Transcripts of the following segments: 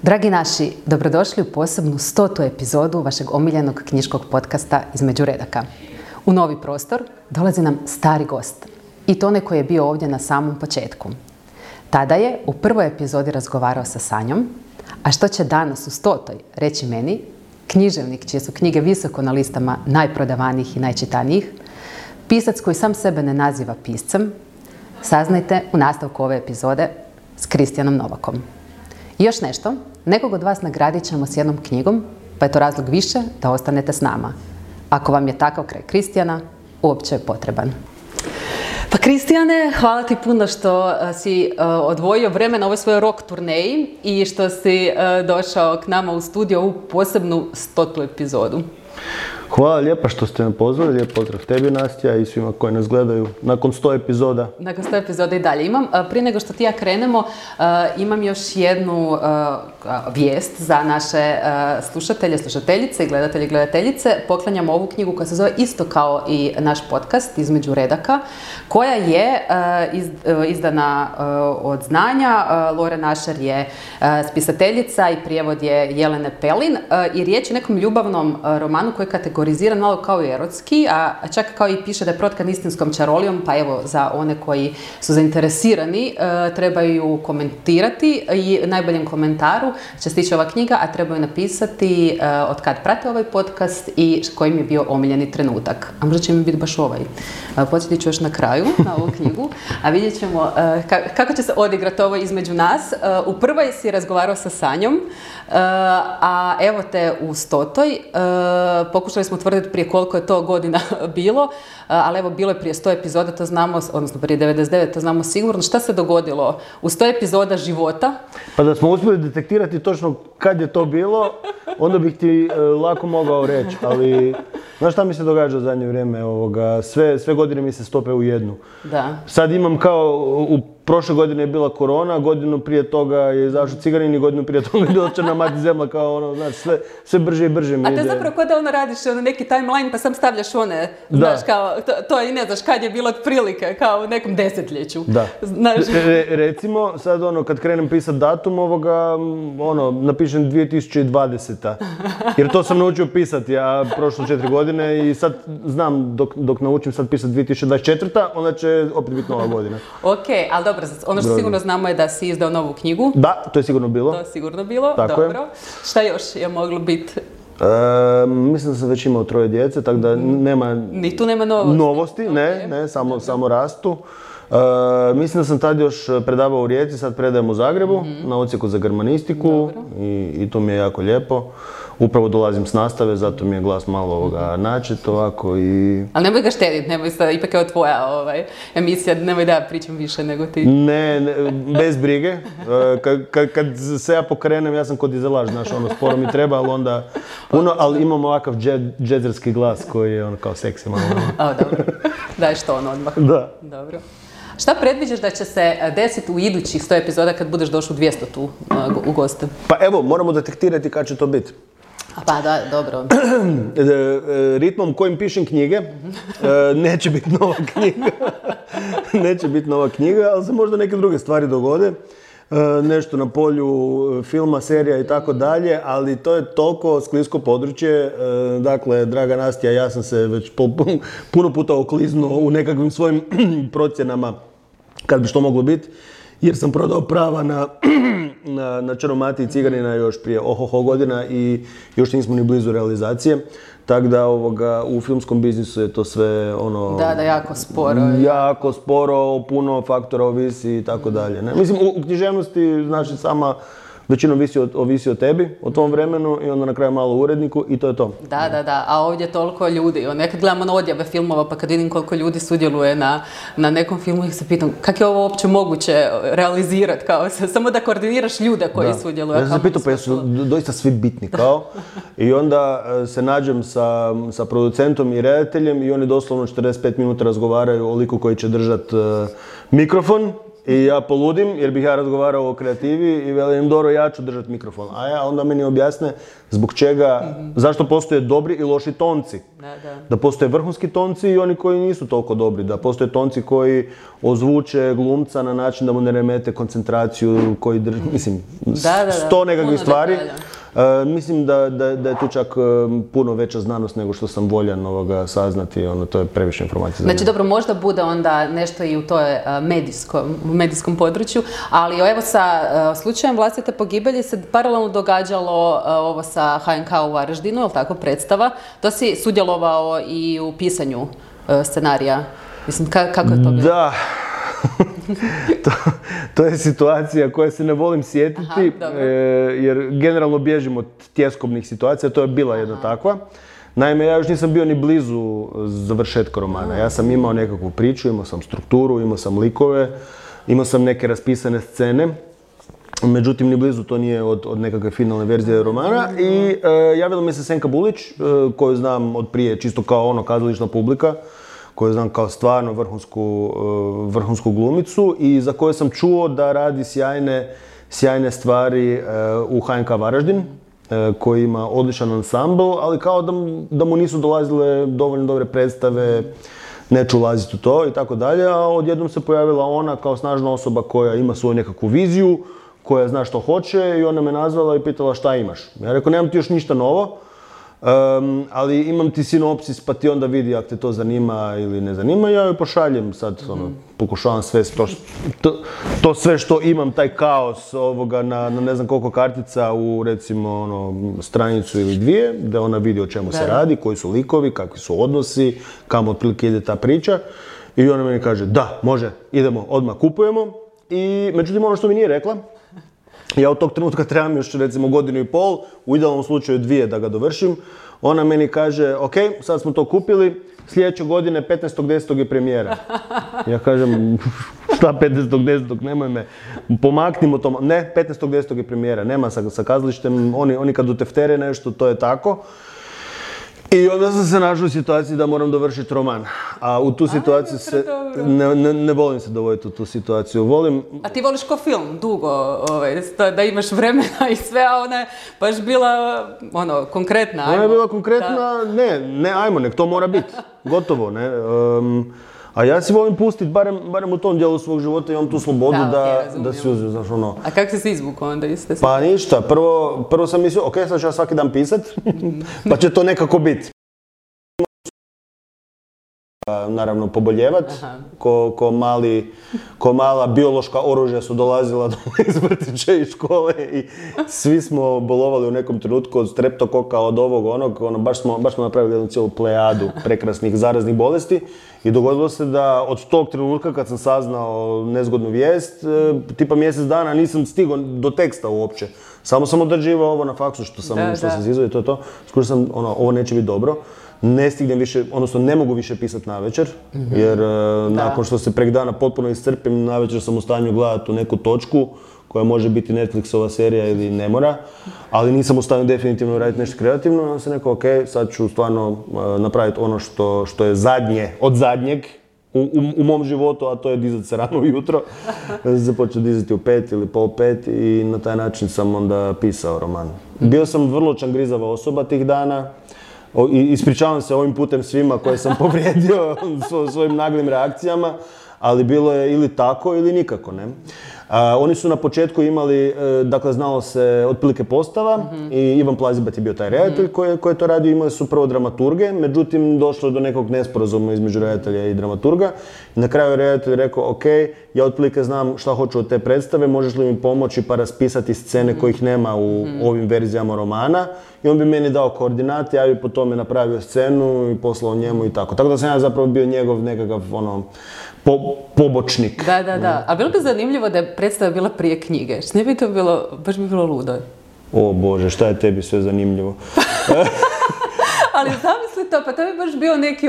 Dragi naši, dobrodošli u posebnu 100. epizodu vašeg omiljenog knjiškog podcasta Između redaka. U novi prostor dolazi nam stari gost. I to onaj koji je bio ovdje na samom početku. Tada je u prvoj epizodi razgovarao sa Sanjom, a što će danas u 100. reći meni, književnik čije su knjige visoko na listama najprodavanijih i najčitanijih, pisac koji sam sebe ne naziva piscem, saznajte u nastavku ove epizode s Kristijanom Novakom. I još nešto, nekog od vas nagradit ćemo s jednom knjigom, pa je to razlog više da ostanete s nama. Ako vam je takav kraj Kristijana, uopće je potreban. Pa Kristijane, hvala ti puno što si odvojio vreme na ovoj svojoj rock turneji i što si došao k nama u studio u posebnu 100. epizodu. Hvala lijepa što ste me pozvali, lijep pozdrav tebi Nastja i svima koji nas gledaju nakon 100 epizoda. Nakon 100 epizoda i dalje. Prije nego što ti ja krenemo, imam još jednu vijest za naše slušatelje, slušateljice i gledatelje i gledateljice. Poklanjamo ovu knjigu koja se zove isto kao i naš podcast Između redaka, koja je izdana od znanja. Lore Našer je spisateljica i prijevod je Jelene Pelin i riječ je o nekom ljubavnom romanu koji je kategoriziran malo kao i erotski, a čak kao i piše da je protkan istinskom čarolijom, pa evo za one koji su zainteresirani trebaju komentirati i najboljem komentaru će stići ova knjiga, a trebaju napisati od kad prate ovaj podcast i kojim je bio omiljeni trenutak. A možda će mi biti baš ovaj. Podsjetit ću još na kraju na ovu knjigu, a vidjet ćemo kako će se odigrati ovo između nas. U prvoj si razgovarao sa Sanjom, a evo te u 100. Pokušali smo utvrditi prije koliko je to godina bilo, ali evo bilo je prije 100 epizoda, to znamo, odnosno prije 99, to znamo sigurno. Šta se dogodilo u 100 epizoda života? Pa da smo uspjeli detektirati točno kad je to bilo, onda bih ti lako mogao reći, ali znaš šta mi se događa u zadnje vrijeme? Sve godine mi se stope u jednu. Da. Sad imam kao, u prošle godine je bila korona, godinu prije toga je izašao Ciganin i godinu prije toga je bila Crna mati zemlja, kao ono, znaš, sve brže i brže mi ide. A to je zapravo kao da ono radiš neki timeline pa sam stavljaš one, znaš, kao, to i ne znaš kad je bilo otprilike, kao u nekom desetljeću. Da. Recimo, sad kad krenem pisat datum napišem 2020. Jer to sam naučio pisati, ja prošlo 4 godine i sad znam dok naučim sad pisati 2024. onda će opet biti nova godina. Ok, ali dobro, ono što sigurno znamo je da si izdao novu knjigu. Da, to je sigurno bilo. To je sigurno bilo, tako dobro. Je. Šta još je moglo biti? Mislim da sam već imao 3 djece, tako da nema... Ni tu nema novosti? Ne, samo rastu. Mislim da sam tad još predavao u Rijeci, sad predajem u Zagrebu, na odsjeku za germanistiku i to mi je jako lijepo. Upravo dolazim s nastave, zato mi je glas malo načet ovako i... Ali nemoj ga štediti, nemoj sad, ipak je tvoja emisija, nemoj da ja pričam više nego ti. Ne, bez brige. Kad se ja pokrenem, ja sam kod dizelaž, znaš, sporo mi treba, ali onda puno, ali imam ovakav džezerski glas koji je kao seksi malo. Dobro, daješ to odmah. Da. Dobro. Šta predviđaš da će se desiti u idućih 100 epizoda kad budeš došao u 200 tu u goste? Pa evo, moramo detektirati kad će to biti. Pa da, dobro. Ritmom kojim pišem knjige, neće biti nova knjiga. Neće biti nova knjiga, ali se možda neke druge stvari dogode. Nešto na polju filma, serija i tako dalje, ali to je toliko sklisko područje. Dakle, draga Nastja, ja sam se već puno puta okliznuo u nekakvim svojim procjenama kad bi što moglo biti, jer sam prodao prava na Čaromati i Ciganina još prije godina i još nismo ni blizu realizacije. Tako da u filmskom biznisu je to sve Da, jako sporo. Jako sporo, puno faktora ovisi i tako dalje. Mislim, u književnosti, znači, sama većinom ovisi o tebi, o tom vremenu i onda na kraju malo uredniku i to je to. Da, a ovdje je toliko ljudi. Nekad gledamo na odjave filmova pa kad vidim koliko ljudi sudjeluje na nekom filmu i se pitam kako je ovo uopće moguće realizirati, kao samo da koordiniraš ljude koji sudjeluju. Ja sam se pitao pa jesu doista svi bitni kao i onda se nađem sa producentom i redateljem i oni doslovno 45 minuta razgovaraju o liku koji će držati mikrofon. i ja poludim jer bih ja razgovarao o kreativi i velim, dobro, ja ću držati mikrofon. A ja onda meni objasne zbog čega, zašto postoje dobri i loši tonci. Da postoje vrhunski tonci i oni koji nisu toliko dobri. Da postoje tonci koji ozvuče glumca na način da mu ne remete koncentraciju, koji mislim, 100 nekakvih stvari. Mislim da je tu čak puno veća znanost nego što sam voljan saznati, to je previše informacija. Znači dobro, možda bude onda nešto i u toj medijskom području, ali evo sa slučajem vlastite pogibelji se paralelno događalo ovo sa HNK u Varaždinu, je li tako, predstava? To si sudjelovao i u pisanju scenarija. Mislim, kako je to bilo? Da. To je situacija koje se ne volim sjetiti, jer generalno bježim od tjeskobnih situacija, to je bila jedna takva. Naime, ja još nisam bio ni blizu završetka romana. Ja sam imao nekakvu priču, imao sam strukturu, imao sam likove, imao sam neke raspisane scene. Međutim, ni blizu to nije od nekakve finalne verzije romana. I javila mi se Senka Bulić, koju znam od prije čisto kao kazališna publika, koju znam kao stvarno vrhunsku glumicu i za koju sam čuo da radi sjajne stvari u HNK Varaždin, koji ima odličan ansambl, ali kao da mu nisu dolazile dovoljno dobre predstave, neću ulaziti u to i tako dalje, a odjednom se pojavila ona kao snažna osoba koja ima svoju nekakvu viziju, koja zna što hoće i ona me nazvala i pitala šta imaš. Ja rekao, nemam ti još ništa novo, ali imam ti sinopsis pa ti onda vidi ako te to zanima ili ne zanima. Ja joj pošaljem sad, pokušavam sve to sve što imam, taj kaos na ne znam koliko kartica u recimo stranicu ili dvije, da ona vidi o čemu se radi, koji su likovi, kakvi su odnosi, kamo otprilike ide ta priča. I ona meni kaže, da, može, idemo, odmah kupujemo. I međutim, ono što mi nije rekla, ja od tog trenutka trebam još recimo 1,5 godine, u idealnom slučaju 2 da ga dovršim. Ona meni kaže, ok, sad smo to kupili, sljedeće godine 15.10. je premijera. Ja kažem, šta 15.10. nemoj me, pomaknimo to. Ne, 15.10. je premijera, nema sa kazalištem, oni kad uteftere nešto, to je tako. I onda sam se našao u situaciji da moram dovršiti roman. A u tu situaciju ne volim se dovoditi u tu situaciju. A ti voliš ko film, dugo, da imaš vremena i sve, a ona je baš bila konkretna. Ona je bila konkretna, ne, ajmo, nek to mora biti. Gotovo, ne. A ja si volim pustiti, barem u tom dijelu svog života, imam tu slobodu da si uzim, znaš A kako si se izvukao onda iz te situacije? Pa ništa, prvo sam mislio, ok, sad ću ja svaki dan pisat, pa će to nekako biti. Naravno poboljevat, ko mala biološka oružja su dolazila iz vrtića i škole i svi smo bolovali u nekom trenutku od streptokoka, od ovog, onog, baš smo napravili jednu cijelu plejadu prekrasnih zaraznih bolesti i dogodilo se da od tog trenutka kad sam saznao nezgodnu vijest, tipa mjesec dana nisam stigao do teksta uopće. Samo sam odrađivao ovo na faksu što sam zizao i to je to. Skušao sam, ovo neće biti dobro. Ne stignem više, odnosno ne mogu više pisati navečer, jer nakon što se prek dana potpuno iscrpim, navečer sam u stanju gledati u neku točku koja može biti Netflixova serija ili ne mora, ali nisam u stanju definitivno raditi nešto kreativno, onda sam rekao, ok, sad ću stvarno napraviti ono što je zadnje od zadnjeg u mom životu, a to je dizati se rano ujutro. Započeo dizati u 5 ili pol 5 i na taj način sam onda pisao roman. Bio sam vrlo čangrizava osoba tih dana. Ispričavam se ovim putem svima koje sam povrijedio svojim naglim reakcijama, ali bilo je ili tako ili nikako, ne. Oni su na početku imali, dakle znalo se otprilike postava i Ivan Plazibat je bio taj redatelj koji je to radio, imali su prvo dramaturge, međutim došlo je do nekog nesporazuma između redatelja i dramaturga. I na kraju je redatelj rekao, ok, ja otprilike znam šta hoću od te predstave, možeš li mi pomoći pa raspisati scene kojih nema u ovim verzijama romana. I on bi meni dao koordinate, ja bi po tome napravio scenu i poslao njemu i tako. Tako da sam ja zapravo bio njegov nekakav pobočnik. Da. A bilo bi zanimljivo da je predstava bila prije knjige. Što ne bi to bilo, baš bi bilo ludo. O Bože, šta je tebi sve zanimljivo? Ali zamisli to, pa to bi baš bio neki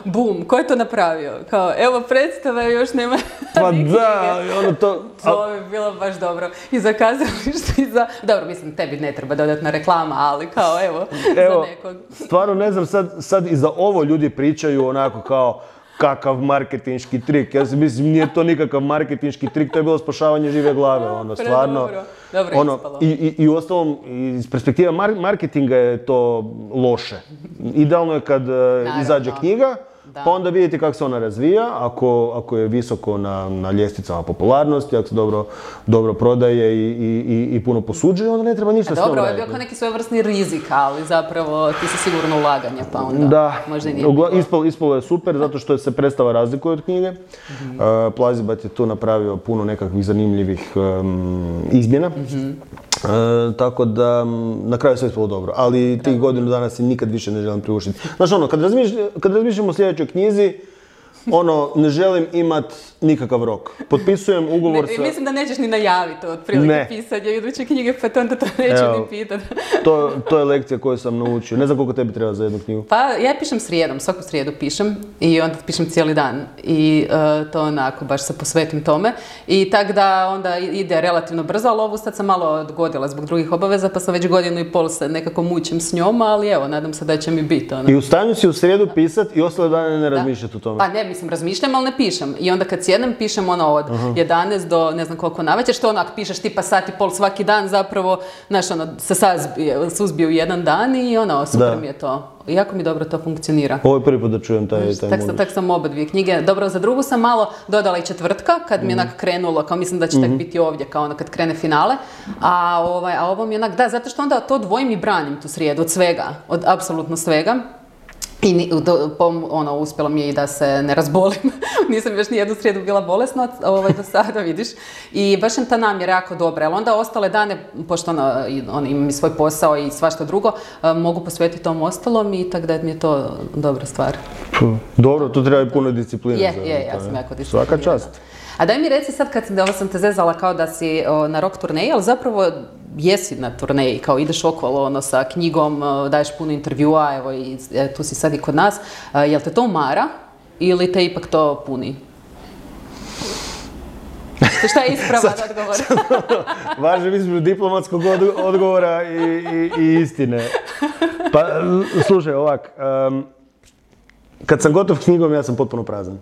boom, ko je to napravio? Kao, evo predstava još nema pa ni da, knjige. To bi bilo baš dobro. I za kazalište, i za... Dobro, mislim, tebi ne treba dodatna reklama, ali kao, evo, za nekog. Stvarno ne znam, sad i za ovo ljudi pričaju onako kao, kakav marketinški trik. Ja si mislim, nije to nikakav marketinški trik, to je bilo spašavanje žive glave, ono, stvarno. Dobro ono, ispalo. I uostalom, iz perspektive marketinga je to loše. Idealno je kad izađe knjiga, pa onda vidite kako se ona razvija, ako je visoko na ljestvicama popularnosti, ako se dobro prodaje i puno posuđuje, onda ne treba ništa s njom raditi. Dobro, je bio kao neki svojevrsni rizik, ali zapravo ti si sigurno ulaganje, pa onda možda i nije bilo. Ispalo je super, zato što se predstava razlikuje od knjige. Plazibat je tu napravio puno nekakvih zanimljivih izmjena. Tako da, na kraju sve ispalo dobro, ali tih godinu dana si nikad više ne želim priuštiti. Znaš ono, kad razmišljam o sljedećoj knjizi, ne želim imat nikakav rok. Potpisujem ugovor sa... Mislim da nećeš ni najaviti otprilike pisanje iduće knjige, pa onda to neću ni pitati. To je lekcija koju sam naučio. Ne znam koliko tebi treba za jednu knjigu. Pa ja pišem srijedom, svaku srijedu pišem i onda pišem cijeli dan. I to onako, baš se posvetim tome. I tak da onda ide relativno brzo, ali ovu sad sam malo odgodila zbog drugih obaveza, pa sam već 1.5 godina se nekako mučim s njom, ali evo, nadam se da će mi biti. I u stanju si u srijedu pisat i ostale dane ne razmišljati o tome. Pa ne, mislim, razmišljam, ali ne pišem. I onda kad sjednem, pišem od 11 do ne znam koliko navečer, što onak pišeš tipa 1.5 sati svaki dan, zapravo, znaš, se suzbije u jedan dan i super mi je to. Jako mi dobro to funkcionira. Ovo je prvi put da čujem taj modus. Tak sam oba dvije knjige. Dobro, za drugu sam malo dodala i četvrtka, kad mi je onak krenulo, kao mislim da će tak biti ovdje, kao kad krene finale. A ovo mi je onak, zato što onda to dvojim i branim tu srijedu, od svega, od apsolutno svega. I uspjelo mi je i da se ne razbolim. Nisam još nijednu srijedu bila bolesna do sada, vidiš. I baš je ta namjera jako dobra. Ali onda ostale dane, pošto imam i svoj posao i svašta drugo, mogu posvetiti tom ostalom i tako da mi je to dobra stvar. Dobro, tu treba i puno discipline. Ja sam jako disciplinirana. Svaka čast. A daj mi reci sad, kad sam te zezala kao da si na rock turneji, ali zapravo jesi na turneji, kao ideš okolo sa knjigom, daješ puno intervjua, evo i tu si sad i kod nas. Jel te to umara ili te ipak to puni? Šta je ispravan odgovor? Važem između diplomatskog odgovora i istine. Pa, slušaj, ovak, kad sam gotov knjigom, ja sam potpuno prazan.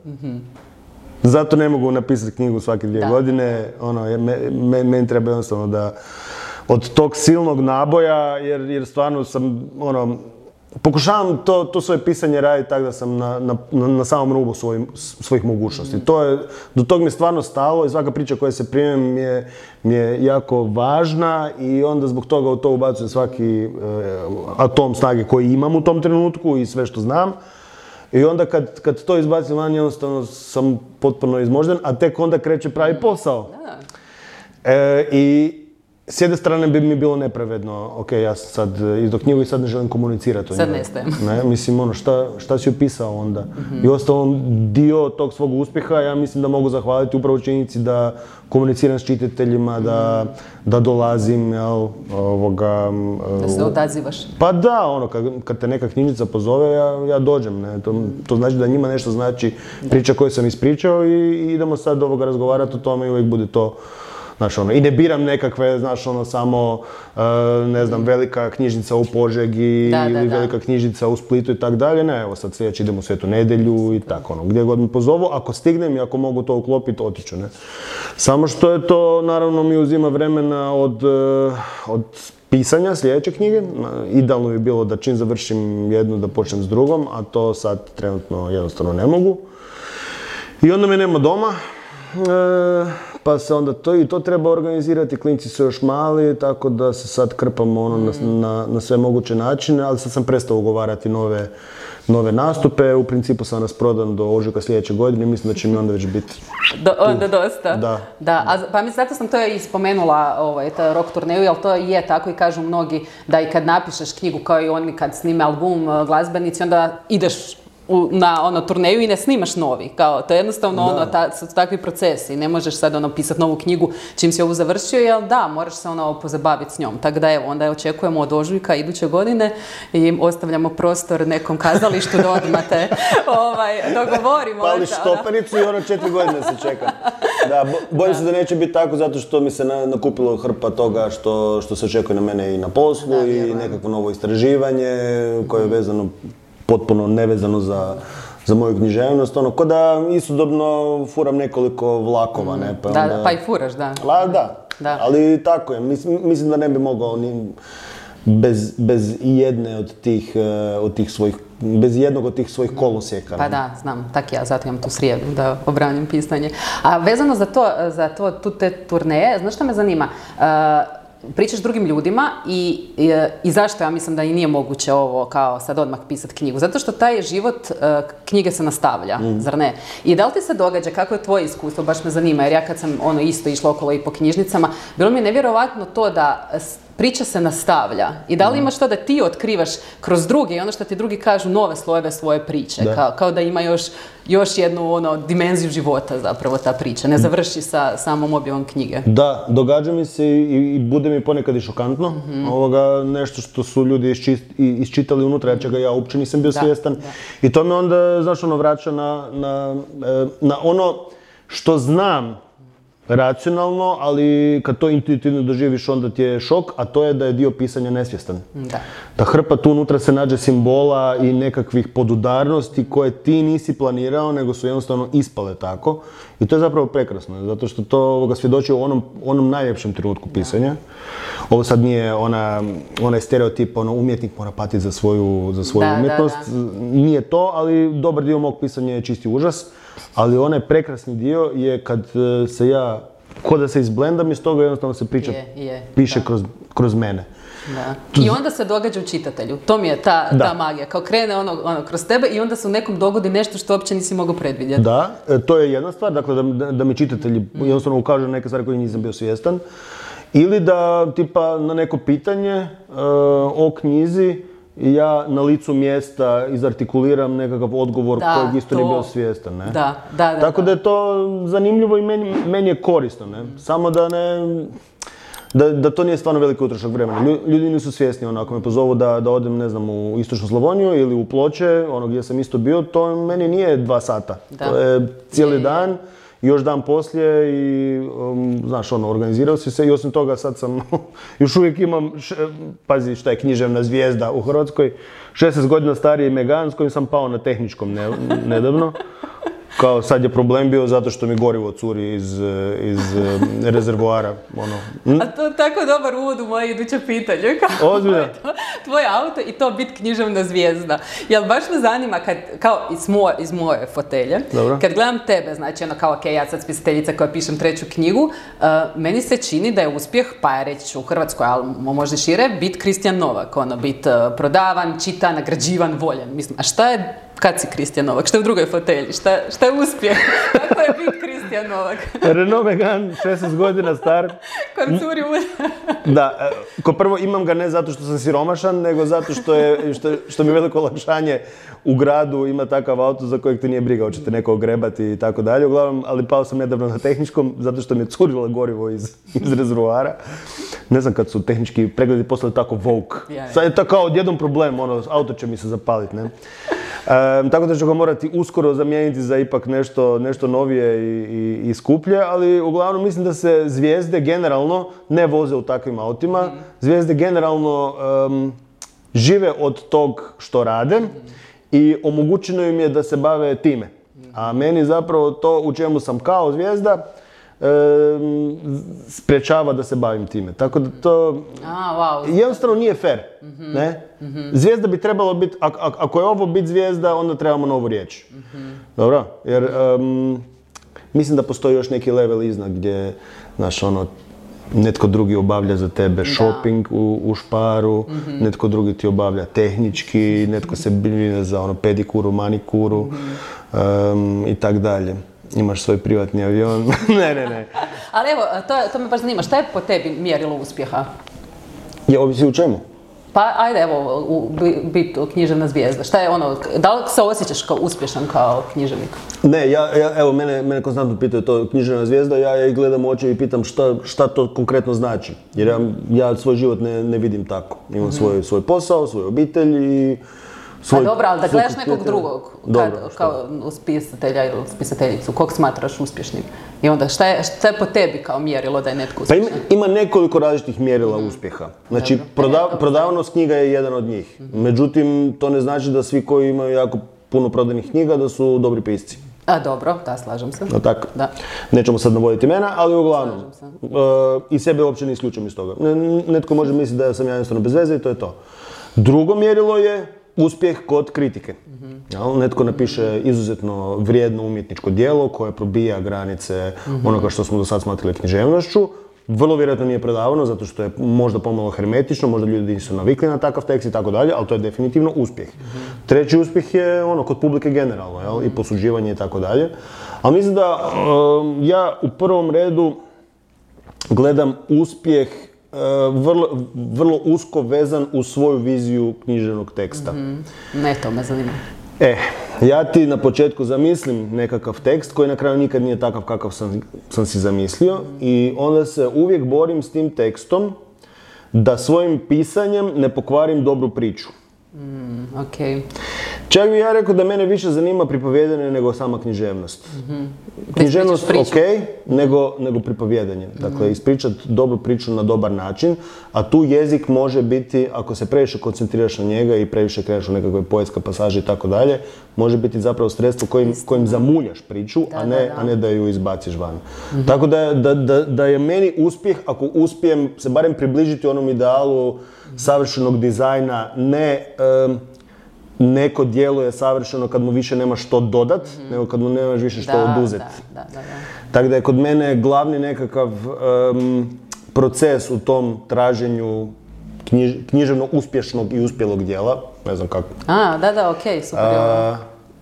Zato ne mogu napisati knjigu svake 2 godine, meni treba jednostavno da od tog silnog naboja, jer stvarno sam, pokušavam to svoje pisanje raditi tako da sam na samom rubu svojih mogućnosti. Do tog mi je stvarno stalo i svaka priča koja se primem mi je jako važna i onda zbog toga u to ubacujem svaki atom snage koji imam u tom trenutku i sve što znam. I onda kad to izbacim van, jednostavno sam potpuno izmožden, a tek onda kreće pravi posao. I s jedne strane bi mi bilo nepravedno, ok, ja sam sad izdao knjigu i sad ne želim komunicirati o njoj. Sad nestajem. Mislim, šta si upisao onda? I ostalom, dio tog svog uspjeha, ja mislim da mogu zahvaliti upravo činjenici da komuniciram s čitateljima, da dolazim, da se odazivaš. Pa da, kad te neka knjižnica pozove, ja dođem, to znači da njima nešto znači priča koju sam ispričao i idemo sad razgovarati o tome i uvijek bude to. Znaš, i ne biram nekakve, znaš, samo, ne znam, velika knjižnica u Požegi ili velika knjižnica u Splitu i tak dalje. Ne, evo sad sljedeći idemo u Svetu Nedjelju i tako, gdje god mi pozovu. Ako stignem i ako mogu to uklopiti, otiću, ne. Samo što je to, naravno, mi uzima vremena od pisanja sljedeće knjige. Idealno bi bilo da čim završim jednu, da počnem s drugom, a to sad trenutno jednostavno ne mogu. I onda me nema doma. Pa se onda to treba organizirati, klinci su još mali, tako da se sad krpamo na sve moguće načine, ali sad sam prestao ugovarati nove nastupe, u principu sam rasprodan do ožujka sljedeće godine i mislim da će mi onda već biti... Onda dosta? Da. Pa mislim, zato sam to i spomenula, rock turneju, jer to je tako i kažu mnogi da i kad napišeš knjigu kao i oni kad snime album glazbenici, onda ideš na turneju i ne snimaš novi. To je jednostavno su takvi procesi. Ne možeš sad pisati novu knjigu čim si ovu završio, jer moraš se pozabaviti s njom. Tako da onda očekujemo od ožujka iduće godine i ostavljamo prostor nekom kazalištu da odmah te dogovorimo. Pališ stopenicu i 4 godine se čeka. Da, bojim se da neće biti tako zato što mi se nakupilo hrpa toga što se očekuje na mene i na poslu i nekakvo novo istraživanje koje je vezano potpuno nevezano za moju književnost, ono, ko da istodobno furam nekoliko vlakova, ne, pa Da, onda... pa i furaš, da. Da, ali tako je, mislim da ne bi mogao ni bez jedne od tih svojih, bez jednog od tih svojih kolosijeka. Pa da, znam, tak ja, zato imam tu srijedu da obranim pisanje. A vezano za te turneje, znaš što me zanima? Pričaš drugim ljudima i zašto ja mislim da i nije moguće ovo kao sad odmah pisati knjigu? Zato što taj život knjige se nastavlja, zar ne? I da li ti se događa, kako je tvoje iskustvo, baš me zanima, jer ja kad sam isto išla okolo i po knjižnicama, bilo mi je nevjerovatno to da priča se nastavlja. I da li imaš to da ti otkrivaš kroz druge i ono što ti drugi kažu nove slojeve svoje priče, kao da ima još jednu dimenziju života zapravo ta priča, ne završi sa samom objavom knjige. Da, događa mi se i bude mi ponekad i šokantno, nešto što su ljudi isčitali unutra, čega ja uopće nisam bio svjestan. I to me onda, znaš, vraća na ono što znam racionalno, ali kad to intuitivno doživiš, onda ti je šok, a to je da je dio pisanja nesvjestan. Da hrpa tu unutra se nađe simbola i nekakvih podudarnosti koje ti nisi planirao, nego su jednostavno ispale tako. I to je zapravo prekrasno, zato što to svjedoči u onom najljepšem trenutku pisanja. Ovo sad nije onaj stereotip, umjetnik mora patiti za svoju umjetnost. Nije to, ali dobar dio mog pisanja je čisti užas. Ali onaj prekrasni dio je kad se ja, ko da se izblendam iz toga, jednostavno se priča piše kroz mene. I onda se događa u čitatelju. To mi je ta magija. Kao krene kroz tebe i onda se u nekom dogodi nešto što uopće nisi mogao predvidjeti. Da, to je jedna stvar, dakle da mi čitatelji jednostavno ukažu neke stvari koje nisam bio svjestan. Ili da tipa na neko pitanje o knjizi ja na licu mjesta izartikuliram nekakav odgovor kojeg isto nije bio svjestan, ne? Tako da je to zanimljivo i meni je korisno, ne? Samo da to nije stvarno veliki utrošak vremena. Ljudi nisu svjesni, ako me pozovu da odem, ne znam, u Istočnu Slavoniju ili u Ploče, gdje sam isto bio, to meni nije 2 sata. To je cijeli dan. Još dan poslije i, znaš, organizirao si se i osim toga sad sam, još uvijek imam, pazi šta je književna zvijezda u Hrvatskoj, 16 godina stariji Megan s kojim sam pao na tehničkom nedavno. Kao sad je problem bio zato što mi gorivo curi iz rezervoara. A to je tako dobar uvod u moje iduće pitanje. Ozbiljno? Tvoje auto i to bit književna zvijezda. Jel baš me zanima, kao iz moje fotelje, kad gledam tebe, znači kao ok, ja sad spisateljica koja pišem 3. knjigu, meni se čini da je uspjeh, pa ja reći ću u Hrvatskoj, ali možda šire, bit Kristijan Novak, bit prodavan, čitan, nagrađivan, voljen. Mislim, a šta je kad si Kristijan Novak? Šta je u drugoj fotelji? Šta je uspjeh? Kako je bit Kristijan Novak? Renault Megane, 16 godina star. Kojem curi Da, ko prvo imam ga ne zato što sam siromašan, nego zato što mi je veliko olakšanje u gradu ima takav auto za kojeg te nije briga, hoćete neko ogrebati i tako dalje. Uglavnom, ali pao sam nedavno na tehničkom zato što mi je curilo gorivo iz rezervoara. Ne znam kad su tehnički pregledi postali tako woke. Sad je to kao odjednom problem, auto će mi se zapaliti, ne? Tako da ću ga morati uskoro zamijeniti za ipak nešto novije i skuplje, ali uglavnom mislim da se zvijezde generalno ne voze u takvim autima. Zvijezde generalno žive od tog što rade i omogućeno im je da se bave time. A meni zapravo to u čemu sam kao zvijezda sprečava da se bavim time. Tako da to jednostavno nije fair. Ne? Zvijezda bi trebalo biti, ako je ovo biti zvijezda, onda trebamo novu riječ. Dobro? Jer mislim da postoji još neki level iznad gdje, znaš, netko drugi obavlja za tebe shopping u Sparu, netko drugi ti obavlja tehnički, netko se brine za pedikuru, manikuru i tak dalje. Imaš svoj privatni avion. Ne. Ali evo, to me baš zanima. Šta je po tebi mjerilo uspjeha? Ovisi u čemu? Pa ajde, evo, biti književna zvijezda. Šta je da li se osjećaš kao uspješan kao književnik? Ne, evo, mene konstantno pitaju to književna zvijezda, ja ih gledam u oči i pitam šta to konkretno znači. Jer ja svoj život ne vidim tako. Imam svoj posao, svoju obitelj i Pa dobro, ali da gledaš nekog drugog, kao spisatelja ili spisateljicu, kog smatraš uspješnim? I onda šta je po tebi kao mjerilo da je netko uspješan? Pa ima nekoliko različitih mjerila uspjeha. Znači, prodavnost knjiga je jedan od njih. Međutim, to ne znači da svi koji imaju jako puno prodanih knjiga da su dobri pisci. A dobro, da, slažem se. No tak, Da. nećemo sad navoditi imena, ali uglavnom, Slažem i sebe uopće ne isključujem iz toga. Netko može misliti da sam ja jednostavno bez veze i to je to. Drugo mjerilo je uspjeh kod kritike. Netko napiše izuzetno vrijedno umjetničko djelo koje probija granice onoga što smo do sad smatrali književnošću. Vrlo vjerojatno nije prodavano zato što je možda pomalo hermetično, možda ljudi nisu navikli na takav tekst i tako dalje, ali to je definitivno uspjeh. Treći uspjeh je kod publike generalno, i posuđivanje i tako dalje. Ali mislim da ja u prvom redu gledam uspjeh vrlo usko vezan u svoju viziju književnog teksta. Ne, to me zanima. Ja ti na početku zamislim nekakav tekst koji na kraju nikad nije takav kakav sam si zamislio i onda se uvijek borim s tim tekstom da svojim pisanjem ne pokvarim dobru priču. Ok. Čak bi ja rekao da mene više zanima pripovjedanje nego sama književnost. Književnost ok, nego pripovjedanje. Dakle, ispričati dobru priču na dobar način, a tu jezik može biti, ako se previše koncentriraš na njega i previše kreneš u nekakve poetske pasaže i tako dalje, može biti zapravo sredstvo kojim zamuljaš priču, a ne da ju izbaciš van. Tako da je meni uspjeh, ako uspijem se barem približiti onom idealu savršenog dizajna, ne neko djelo je savršeno kad mu više nemaš što dodat, nego kad mu nemaš više što oduzeti. Tako da je kod mene glavni nekakav proces u tom traženju književno uspješnog i uspjelog djela, ne znam kako. Okej, super.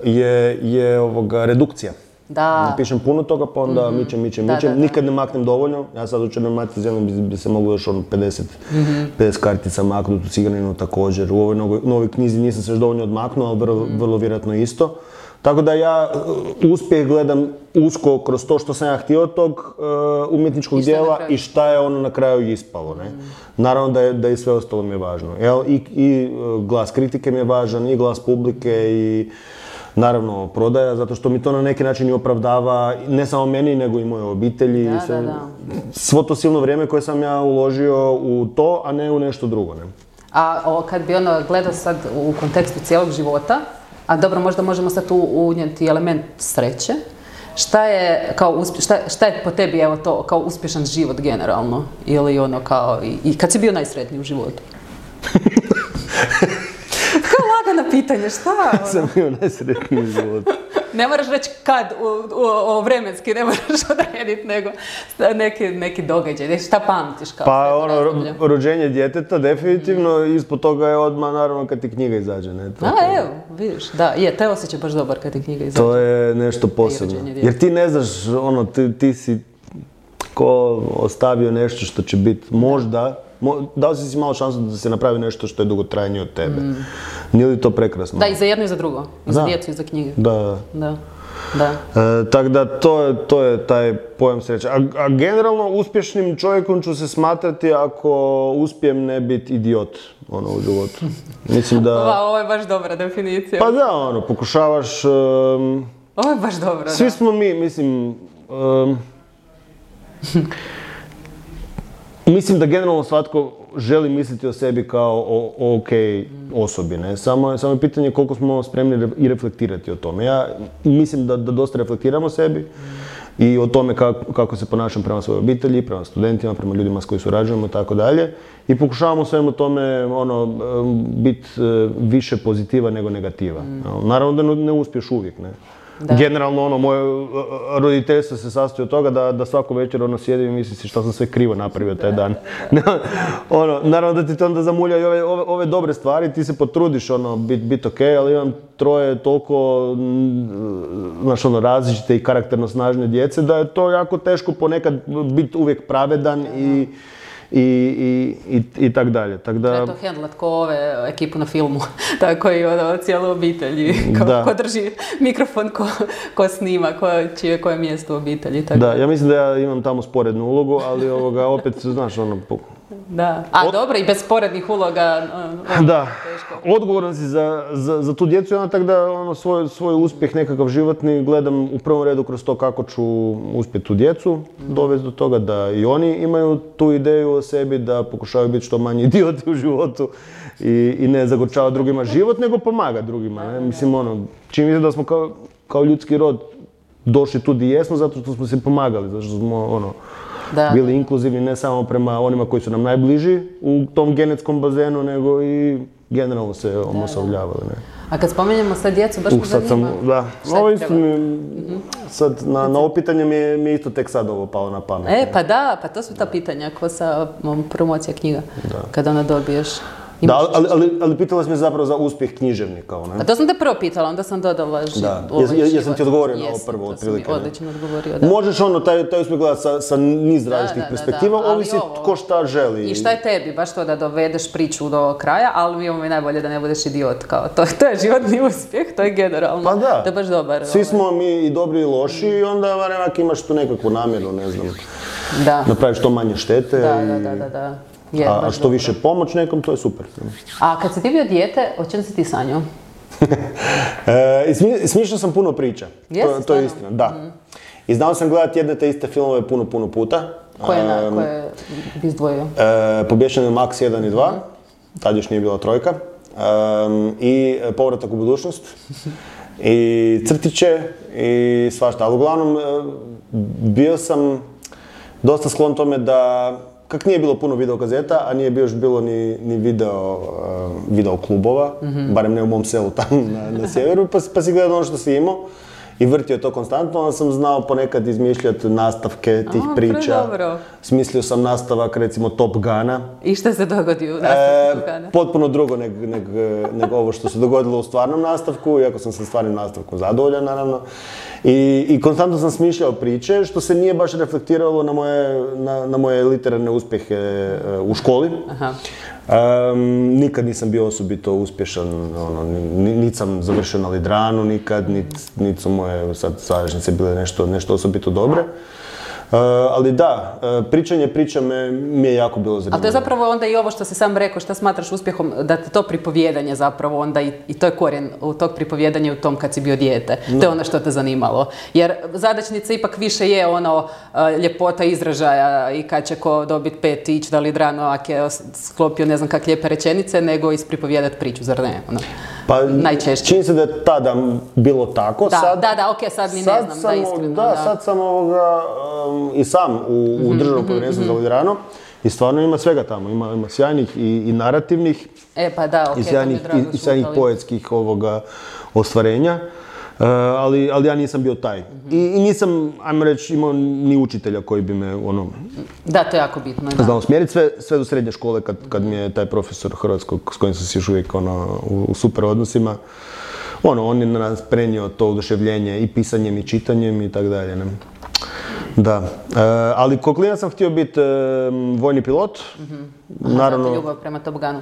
Je redukcija. Da. Napišem puno toga, pa onda mičem. Nikad ne maknem dovoljno. Ja sad u Černoj Matici zemljom bi se moglo još 50 kartica maknuti u Ciganinu također. U ovoj novoj knjizi nisam se još dovoljno odmaknuo, ali vrlo vjerojatno isto. Tako da ja uspjeh gledam usko kroz to što sam ja htio od tog umjetničkog djela i šta je ono na kraju ispalo. Ne? Naravno da i sve ostalo mi je važno. I glas kritike mi je važan, i glas publike, i naravno prodaja, zato što mi to na neki način i opravdava, ne samo meni, nego i moje obitelji. Svo to silno vrijeme koje sam ja uložio u to, a ne u nešto drugo. Ne? A kad bi gledao sad u kontekstu cijelog života, a dobro, možda možemo sad tu unijeti element sreće, šta je po tebi to kao uspješan život generalno? Ili kao, i kad si bio najsretniji u životu? Kao lagano pitanje, šta? Sam bio najsretniji u životu. Ne moraš reći kad, vremenski, ne moraš odrediti, nego neki događaj, šta pamtiš kao? Pa rođenje djeteta, definitivno, ispod toga je odmah, naravno, kad ti knjiga izađe. Evo, vidiš, da, te osjećaj baš dobar kad ti knjiga izađe. To je nešto posebno, jer ti ne znaš, ti si ko ostavio nešto što će biti možda, dao si malo šansu da se napravi nešto što je dugotrajnije od tebe. Nije li to prekrasno? Da, i za jedno i za drugo. I za djecu i za knjige. Da. Tako da to je taj pojam sreće. A generalno uspješnim čovjekom ću se smatrati ako uspijem ne biti idiot u životu. Mislim da... Ovo je baš dobra definicija. Pa da, pokušavaš... Ovo je baš dobro, Svi smo mi, mislim... Mislim da generalno svatko želi misliti o sebi kao o ok osobi, ne? Samo je pitanje koliko smo spremni i reflektirati o tome. Ja mislim da dosta reflektiramo sebi i o tome kako se ponašam prema svojoj obitelji, prema studentima, prema ljudima s koji surađujemo i tako dalje. I pokušavamo svemu tome biti više pozitiva nego negativa. Naravno da ne uspiješ uvijek, ne? Da. Generalno, moje roditeljstvo se sastoji od toga da svako večer sjedim i misli si što sam sve krivo napravio taj dan. Naravno da ti to onda zamulja i ove dobre stvari, ti se potrudiš biti ok, ali imam troje toliko različite i karakterno snažne djece da je to jako teško ponekad biti uvijek pravedan i tak dalje. Treba to handlat ko ekipu na filmu, tako i cijelu obitelj, ko drži mikrofon, ko snima, čije koje mjesto u obitelji. Da, ja mislim da ja imam tamo sporednu ulogu, ali opet, znaš, Da, dobro, i bez sporednih uloga da, odgovoran si za tu djecu i tako da svoj uspjeh nekakav životni gledam u prvom redu kroz to kako ću uspjeti tu djecu, dovesti do toga da i oni imaju tu ideju o sebi, da pokušavaju biti što manji idioti u životu i ne zagorčava drugima život, nego pomaga drugima. Ne? Mislim, čini mi se da smo kao ljudski rod došli tu gdje jesmo zato što smo se pomagali, zato što smo bili inkluzivni ne samo prema onima koji su nam najbliži u tom genetskom bazenu, nego i generalno se omasovljavali. A kad spomenjemo sad djecu, baš me zanima. Ovo isto sad, na ovo pitanje mi je isto tek sad ovo palo na pamet. Pa to su ta pitanja, ko sa promocija knjiga, kada ona dobiješ. Da, ali pitala si me zapravo za uspjeh književnika. A to sam te prvo pitala, onda sam dodala život. Jesam ti odgovorio na ovo prvo, otprilike. Odlično odgovorio, da. Možeš taj uspjeh gledati sa niz različitih perspektiva, ovisi tko šta želi. I šta je tebi, baš to da dovedeš priču do kraja, ali mi je najbolje da ne budeš idiot, kao to je životni uspjeh, to je generalno. Pa da, to je baš dobar. Svi smo mi i dobri i loši i onda varemak imaš tu nekakvu namjeru, ne znam, napraviš što manje štete. Da. A što više pomoć nekom, to je super. A kad si ti bio dijete, o čem si ti sanjao? Smišljao sam puno priča. To je istina, da. I znao sam gledati jedne te iste filmove puno puta. Koje bi izdvojio? Pobješani Max 1 i 2, tad još nije bila trojka. I Povratak u budućnost. I Crtiće i svašta. Ali uglavnom, bio sam dosta sklon tome da kak nije bilo puno videokazeta, a nije još bilo ni video klubova, barem ne u mom selu tamo na sjeveru, pa si gledao ono što si imao i vrtio to konstantno, onda sam znao ponekad izmišljati nastavke tih priča. Smislio sam nastavak, recimo, Top Guna. I šta se dogodi u nastavku Top Guna? Potpuno drugo nego ovo što se dogodilo u stvarnom nastavku, iako sam sa stvarnim nastavkom zadovoljan, naravno. I konstantno sam smišljao priče, što se nije baš reflektiralo na moje literarne uspjehe u školi. Nikad nisam bio osobito uspješan, niti sam završio na Lidranu nikad, niti su moje sadašnjice bile nešto osobito dobre. Ali da, pričanje priča mi je jako bilo zanimljivo. Ali to je zapravo onda i ovo što si sam rekao, što smatraš uspjehom, da te to pripovjedanje zapravo onda i to je korijen u tog pripovjedanja u tom kad si bio dijete. To je ono što te zanimalo. Jer zadaćnica ipak više je ljepota izražaja i kad će ko dobiti 5 ići da Lidrano ako je sklopio ne znam kak lijepe rečenice, nego ispripovjedati priču, zar ne? Pa najčešće. Čini se da je tada bilo tako. Okej, sad mi ne znam, da iskreno. Da, sad sam i sam u Državnom povjerenstvu za Lidrano i stvarno ima svega tamo. Ima sjajnih i narativnih i sjajnih poetskih ostvarenja. Ali ja nisam bio taj. I nisam, ajmo reći, imao ni učitelja koji bi me Da, to je jako bitno. znao smjeriti sve do srednje škole kad mi je taj profesor hrvatskog s kojim sam se još uvijek u super odnosima. On je na nas prenio to oduševljenje i pisanjem i čitanjem i tako dalje. Da, ali ko klinac sam htio biti vojni pilot. Naravno. Ljubav prema Top Gunu.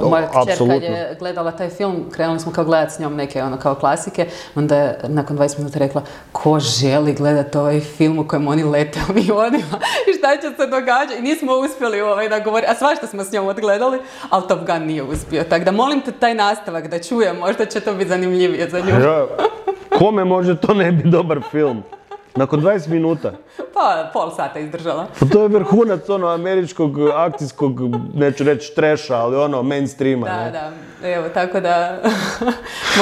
Moja kćer kad je gledala taj film, krenuli smo kao gledati s njom neke kao klasike, onda je nakon 20 minuta rekla ko želi gledati ovaj film u kojem oni lete avionima i šta će se događati. I nismo uspjeli da govoriti, a svašta smo s njom odgledali, ali Top Gun nije uspio. Tako da molim te taj nastavak da čujem, možda će to biti zanimljivije za nju. Kome može to ne biti dobar film? Nakon 20 minuta. Pa, pol sata izdržala. Pa to je vrhunac američkog akcijskog, neću reći treša, ali mainstreama. Da. Evo, tako da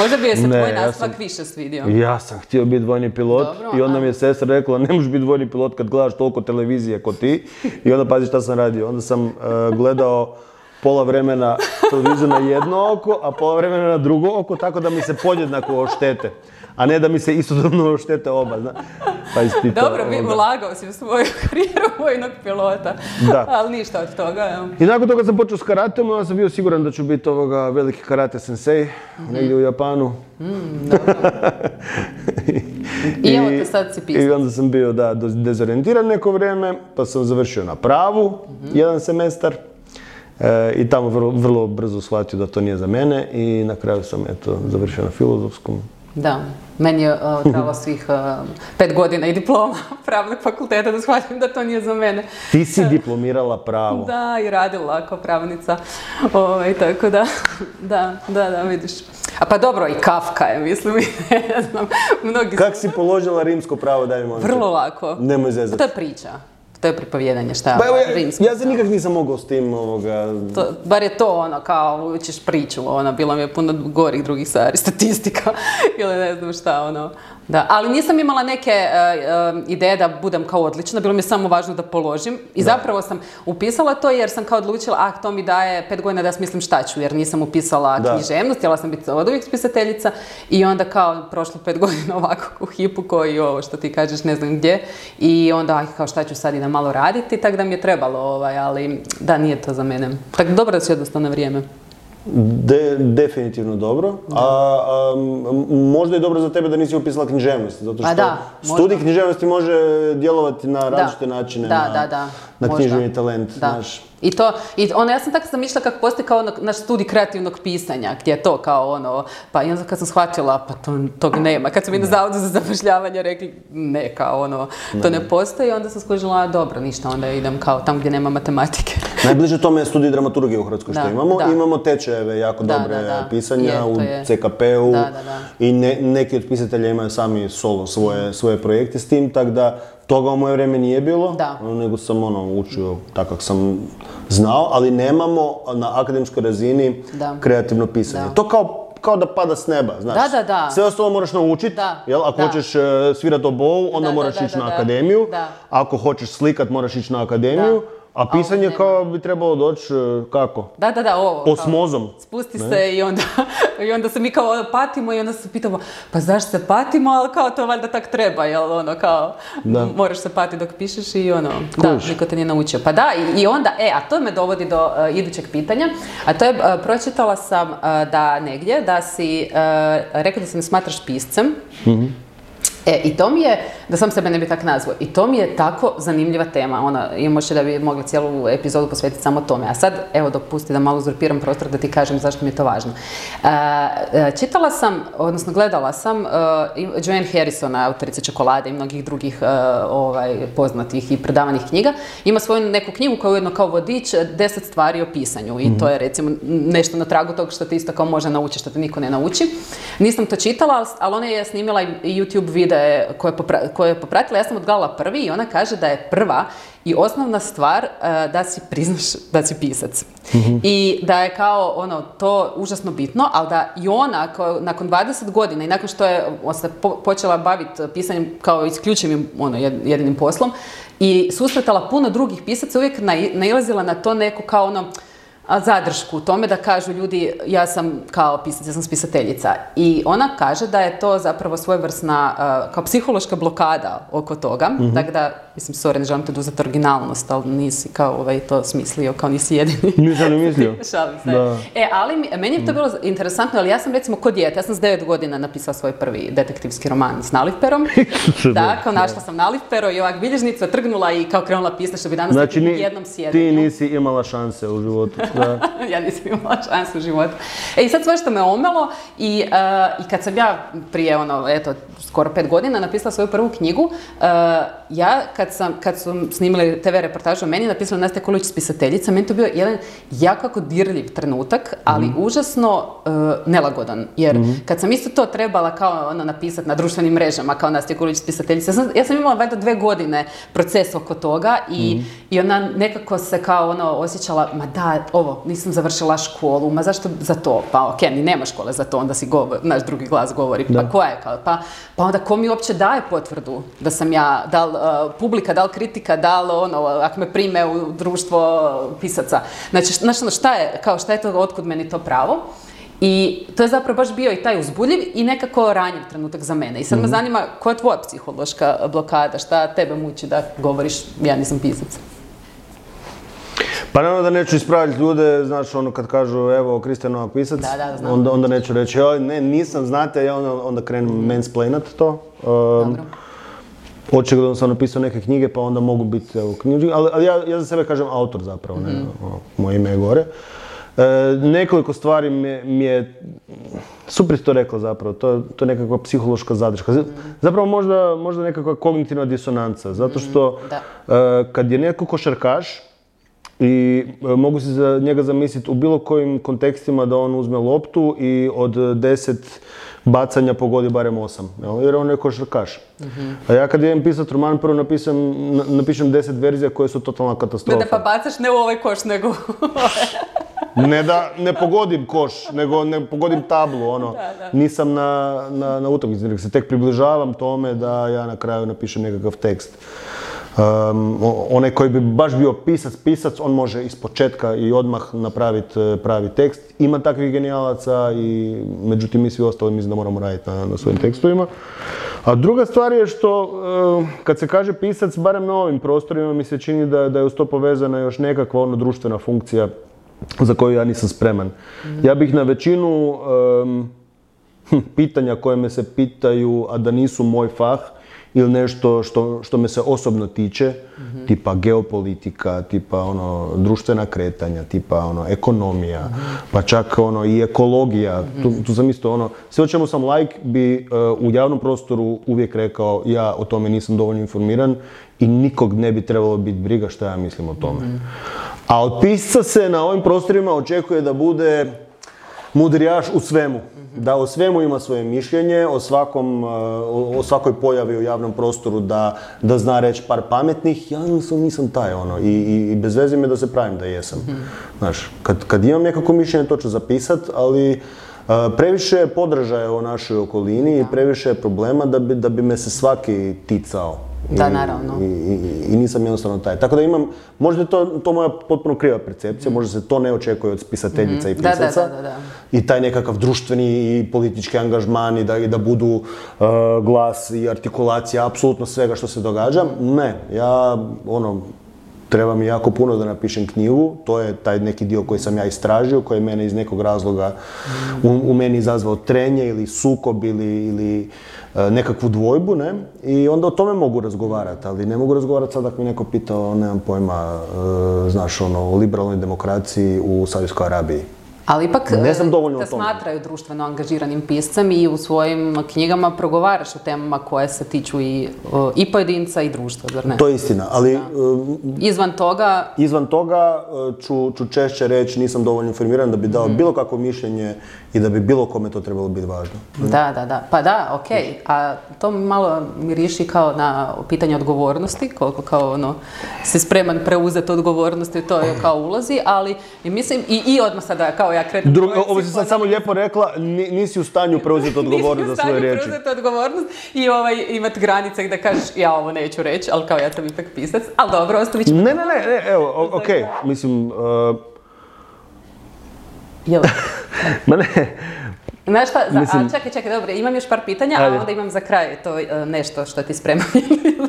možda bi je se tvoj nastavak više svidio. Ja sam htio biti vojni pilot i onda mi je sestra rekla ne možeš biti vojni pilot kad gledaš toliko televizije kao ti. I onda pazi šta sam radio. Onda sam gledao pola vremena televiziju na jedno oko, a pola vremena na drugo oko, tako da mi se podjednako oštete. A ne da mi se istodobno oštete oba, zna. Dobro, ulagao si u svoju karijeru vojnog pilota, ali ništa od toga. I nakon toga sam počeo s karatem, onda sam bio siguran da ću biti veliki karate sensei, negdje u Japanu. Dobro. I evo te sad si pisac. I onda sam bio, dezorientiran neko vrijeme, pa sam završio na pravu, jedan semestar. I tamo vrlo brzo shvatio da to nije za mene i na kraju sam završio na filozofskom. Da, meni je trebalo svih 5 godina i diploma pravnog fakulteta da shvatim da to nije za mene. Ti si diplomirala pravo. Da, i radila kao pravnica, tako da, vidiš. A pa dobro, i Kafka je, mislim, ne znam, mnogi... Kak si položila rimsko pravo, daj mi molim te? Vrlo lako. Nemoj zezati. To je priča. To je pripovjedanje, šta? Ja se nikak nisam mogao s tim Bar je to ono, kao učiš priču, bilo mi je puno gorih drugih stvari, statistika ili ne znam šta, ono. Da, ali nisam imala neke ideje da budem kao odlična, bilo mi je samo važno da položim i zapravo sam upisala to jer sam kao odlučila, to mi daje 5 godina da smislim šta ću, jer nisam upisala književnost, htjela sam biti od uvijek spisateljica i onda kao prošlo 5 godina ovako u hipu koji ovo što ti kažeš ne znam gdje i onda kao šta ću sad idem malo raditi, tako da mi je trebalo, ali da, nije to za mene. Tako dobro da si odnosno na vrijeme. Definitivno dobro, a možda je dobro za tebe da nisi upisala književnost, zato što studij književnosti može djelovati na različite načine na književni talent, znaš. I onda ja sam tako zamišljala kako postoji kao naš studij kreativnog pisanja, gdje je to kao ono, pa i onda kad sam shvatila, pa tog nema. Kad su mi na Zavodu za zapošljavanje rekli, ne, kao ono, to ne postoji, onda sam skužila, dobro, ništa, onda idem kao tamo gdje nema matematike. Najbliže tome je studij dramaturgije u Hrvatskoj što imamo. Imamo tečajeve jako dobre pisanja u CKP-u i neki od pisatelja imaju sami solo svoje projekte s tim, tako da toga u moje vrijeme nije bilo, nego sam učio tako kako sam znao, ali nemamo na akademskoj razini kreativno pisanje. To kao da pada s neba, znaš. Sve ostalo moraš naučiti, ako hoćeš svirati obovu, onda moraš ići na akademiju, ako hoćeš slikat, moraš ići na akademiju, a pisanje kao bi trebalo doći, kako? Ovo. Osmozom. Spusti se i onda se mi kao patimo i onda se pitamo, pa zašto se patimo, ali kao to valjda tak treba, jel ono kao, moraš se patiti dok pišeš i niko te nije naučio. Pa da, i onda, a to me dovodi do idućeg pitanja, a to je, pročitala sam da negdje, da si rekao da se ne smatraš piscem, i to mi je, da sam sebe ne bi tak nazvao, i to mi je tako zanimljiva tema, i možda da bi mogla cijelu epizodu posvetiti samo tome. A sad, evo, dopusti da malo uzurpiram prostor da ti kažem zašto mi je to važno. Čitala sam, odnosno gledala sam Joanne Harrisona, autorice Čokolade i mnogih drugih poznatih i predavanih knjiga. Ima svoju neku knjigu koja je ujedno kao vodič 10 stvari o pisanju i to je recimo nešto na tragu tog što te isto kao može naučiti, što te niko ne nauči. Nisam to čitala, ali ona je snimila i YouTube video koje je popratila, ja sam odgledala prvi i ona kaže da je prva i osnovna stvar da si priznaš da si pisac. I da je kao to užasno bitno, ali da i ona nakon 20 godina i nakon što je se počela baviti pisanjem kao isključivim jedinim poslom i susretala puno drugih pisaca, uvijek nailazila na to neku kao zadršku u tome da kažu ljudi ja sam kao pisac, ja sam spisateljica. I ona kaže da je to zapravo svojevrsna kao psihološka blokada oko toga. Tako da, mislim, sorry, ne želim te oduzeti originalnost, ali nisi kao to smislio, kao nisi jedini. Nisam ni mislio. Šalim se. Ali meni je to bilo interesantno, ali ja sam recimo kod dijete, ja sam s 9 godina napisala svoj prvi detektivski roman s nalivperom. Da, kao našla sam nalivpero i ovak bilježnicu trgnula i kao krenula pisati što bi danas znači, jednom sjedenju. Ti nisi imala šanse u životu. Ja nisam imala šansu u životu. I sad sve što me omelo i kad sam ja prije skoro 5 godina napisala svoju prvu knjigu, ja kad su snimili TV reportažu o meni, napisala Nastja Koluć spisateljica, meni to bio jedan jako dirljiv trenutak, ali užasno nelagodan. Jer kad sam isto to trebala kao napisati na društvenim mrežama, kao Nastja Koluć spisateljica, ja sam imala valjda 2 godine proces oko toga i ona nekako se kao osjećala, ma da, nisam završila školu, ma zašto za to? Pa okej, ni nema škole za to, onda si naš drugi glas govori, pa koja je kao, pa onda ko mi uopće daje potvrdu da sam ja, da li publika, da li kritika, da li ako me prime u društvo pisaca. Znači, šta je to, otkud meni to pravo? I to je zapravo baš bio i taj uzbudljiv i nekako ranjiv trenutak za mene. I sad me zanima, koja je tvoja psihološka blokada, šta tebe muči da govoriš, ja nisam pisac? Pa naravno da neću ispraviti ljude, znaš, kad kažu, evo, Kristijan Novak pisac, onda neću reći, ne, nisam, znate, ja onda krenem mansplainat to. Dobro. Očigledno sam napisao neke knjige, pa onda mogu biti knjižni, ali ja za sebe kažem autor zapravo, ne, moje ime je gore. Nekoliko stvari mi je, super to rekla zapravo, to je nekakva psihološka zadrška. Zapravo možda nekakva kognitivna disonanca, zato što kad je neko košarkaš i mogu se za njega zamisliti u bilo kojim kontekstima da on uzme loptu i od 10 bacanja pogodi barem 8, jer on je košarkaš. A ja kad idem pisati roman, prvo napišem 10 verzija koje su totalna katastrofa. Da pa bacaš ne u ovaj koš, nego Ne da ne pogodim koš, nego ne pogodim tablu, ono. Nisam na utakmici, nego se tek približavam tome da ja na kraju napišem nekakav tekst. Onaj koji bi baš bio pisac, on može ispočetka i odmah napraviti pravi tekst. Ima takvih genijalaca i međutim mi svi ostali mislim da moramo raditi na svojim tekstovima. A druga stvar je što kad se kaže pisac, barem na ovim prostorima mi se čini da je uz to povezana još nekakva društvena funkcija za koju ja nisam spreman. Ja bih na većinu pitanja koje me se pitaju, a da nisu moj fah, ili nešto što me se osobno tiče, tipa geopolitika, tipa društvena kretanja, tipa ekonomija, pa čak i ekologija. Tu sam isto sve o čemu sam bi u javnom prostoru uvijek rekao ja o tome nisam dovoljno informiran i nikog ne bi trebalo biti briga šta ja mislim o tome. A od pisca se na ovim prostorima očekuje da bude mudrijaš u svemu. Da o svemu ima svoje mišljenje, o svakoj pojavi u javnom prostoru da zna reći par pametnih. Ja nisam taj i bez veze mi da se pravim da jesam. Znaš, kad imam nekako mišljenje to ću zapisat, ali previše je podražaja u našoj okolini i previše je problema da bi me se svaki ticao. Da, naravno. I nisam jednostavno taj. Tako da imam, možda je to moja potpuno kriva percepcija, možda se to ne očekuje od spisateljica i pisaca. I taj nekakav društveni i politički angažman i da budu glas i artikulacija apsolutno svega što se događa. Ne, ja treba mi jako puno da napišem knjigu, to je taj neki dio koji sam ja istražio, koji je mene iz nekog razloga u meni izazvao trenje ili sukob ili nekakvu dvojbu, ne? I onda o tome mogu razgovarati, ali ne mogu razgovarati sad ako mi neko pitao, nemam pojma, znaš, o liberalnoj demokraciji u Saudijskoj Arabiji. Ali ipak te smatraju društveno angažiranim piscem i u svojim knjigama progovaraš o temama koje se tiču i pojedinca i društva, zar ne? To je istina, ali izvan toga ću češće reći nisam dovoljno informiran da bi dao bilo kakvo mišljenje i da bi bilo kome to trebalo biti važno. Da. Pa da, okej. A to malo miriši kao na pitanje odgovornosti, koliko kao si spreman preuzeti odgovornosti, to je kao ulazi, ali mislim i odmah sada kao ja kretam. Ovo si sad samo lijepo rekla, nisi u stanju preuzeti odgovornost za svoje riječi. Nisi u stanju preuzeti odgovornost i imati granice gdje kažeš ja ovo neću reći, ali kao ja sam ipak pisac, ali dobro, ostavit ćemo. Ne, evo, okej, mislim... Jel? Ma ne... Znaš šta, čekaj, dobro, imam još par pitanja, a onda imam za kraj to nešto što ti spremam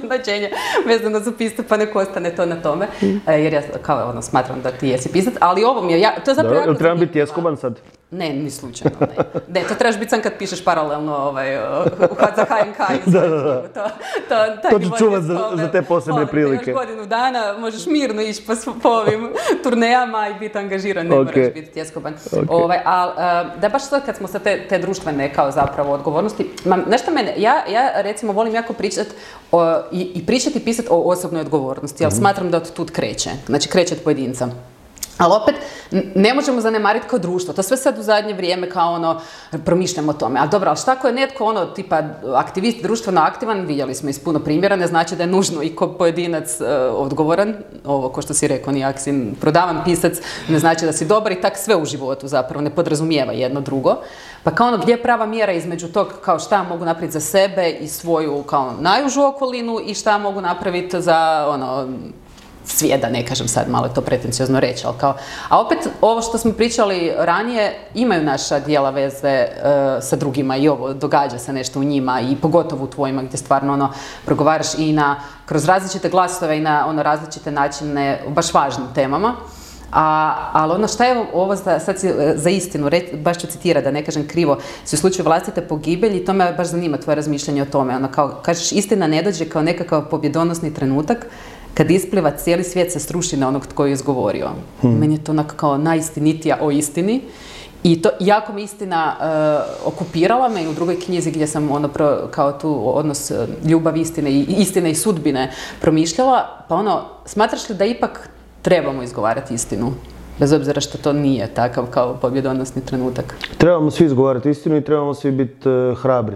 značenje vezano za pisac, pa nek ostane to na tome, jer ja kao smatram da ti jesi pisac, ali ovo mi je, to je zapravo jako zanimljivo. Trebam biti tjeskoban sad? Ne, ni slučajno, ne. Ne, to trebaš biti sam kad pišeš paralelno za HNK. To ću čuvat za te posebne prilike. Još godinu dana možeš mirno ići po ovim turnejama i biti angažiran, ne moraš biti tjeskoban. Ali da baš sad kad smo sa te društvene kao zapravo odgovornosti, nešto mene, ja recimo volim jako pričati i pričati i pisati o osobnoj odgovornosti, ali smatram da od tud kreće, znači kreće od pojedinca. Ali opet, ne možemo zanemariti kao društvo. To sve sad u zadnje vrijeme kao promišljamo o tome. Ali dobro, ali šta ako je netko tipa aktivist, društveno aktivan, vidjeli smo iz puno primjera, ne znači da je nužno i ko pojedinac odgovoran. Ovo, ko što si rekao, nijak si prodavan pisac, ne znači da si dobar i tak sve u životu zapravo ne podrazumijeva jedno drugo. Pa kao gdje je prava mjera između tog kao šta mogu napraviti za sebe i svoju kao najužu okolinu i šta mogu napraviti za svijet, da ne kažem sad, malo je to pretenciozno reći, ali kao... A opet, ovo što smo pričali ranije, imaju naša dijela veze sa drugima i ovo, događa se nešto u njima i pogotovo u tvojima gdje stvarno progovaraš i kroz različite glasove i na različite načine o baš važnim temama. Ali šta je ovo sad za istinu, baš ću citirati da ne kažem krivo, si u slučaju vlastite pogibelji, to me baš zanima tvoje razmišljanje o tome. Kao, kažeš, istina ne dođe kao nekakav pobjedonosni trenutak, kad ispliva cijeli svijet se sruši na onog tko je izgovorio. Meni je to onako kao najistinitija o istini. I to jako mi istina okupirala me i u drugoj knjizi gdje sam kao tu odnos ljubav istine i sudbine promišljala. Pa smatraš li da ipak trebamo izgovarati istinu. Bez obzira što to nije takav kao pobjedonosni trenutak. Trebamo svi izgovarati istinu i trebamo svi biti hrabri.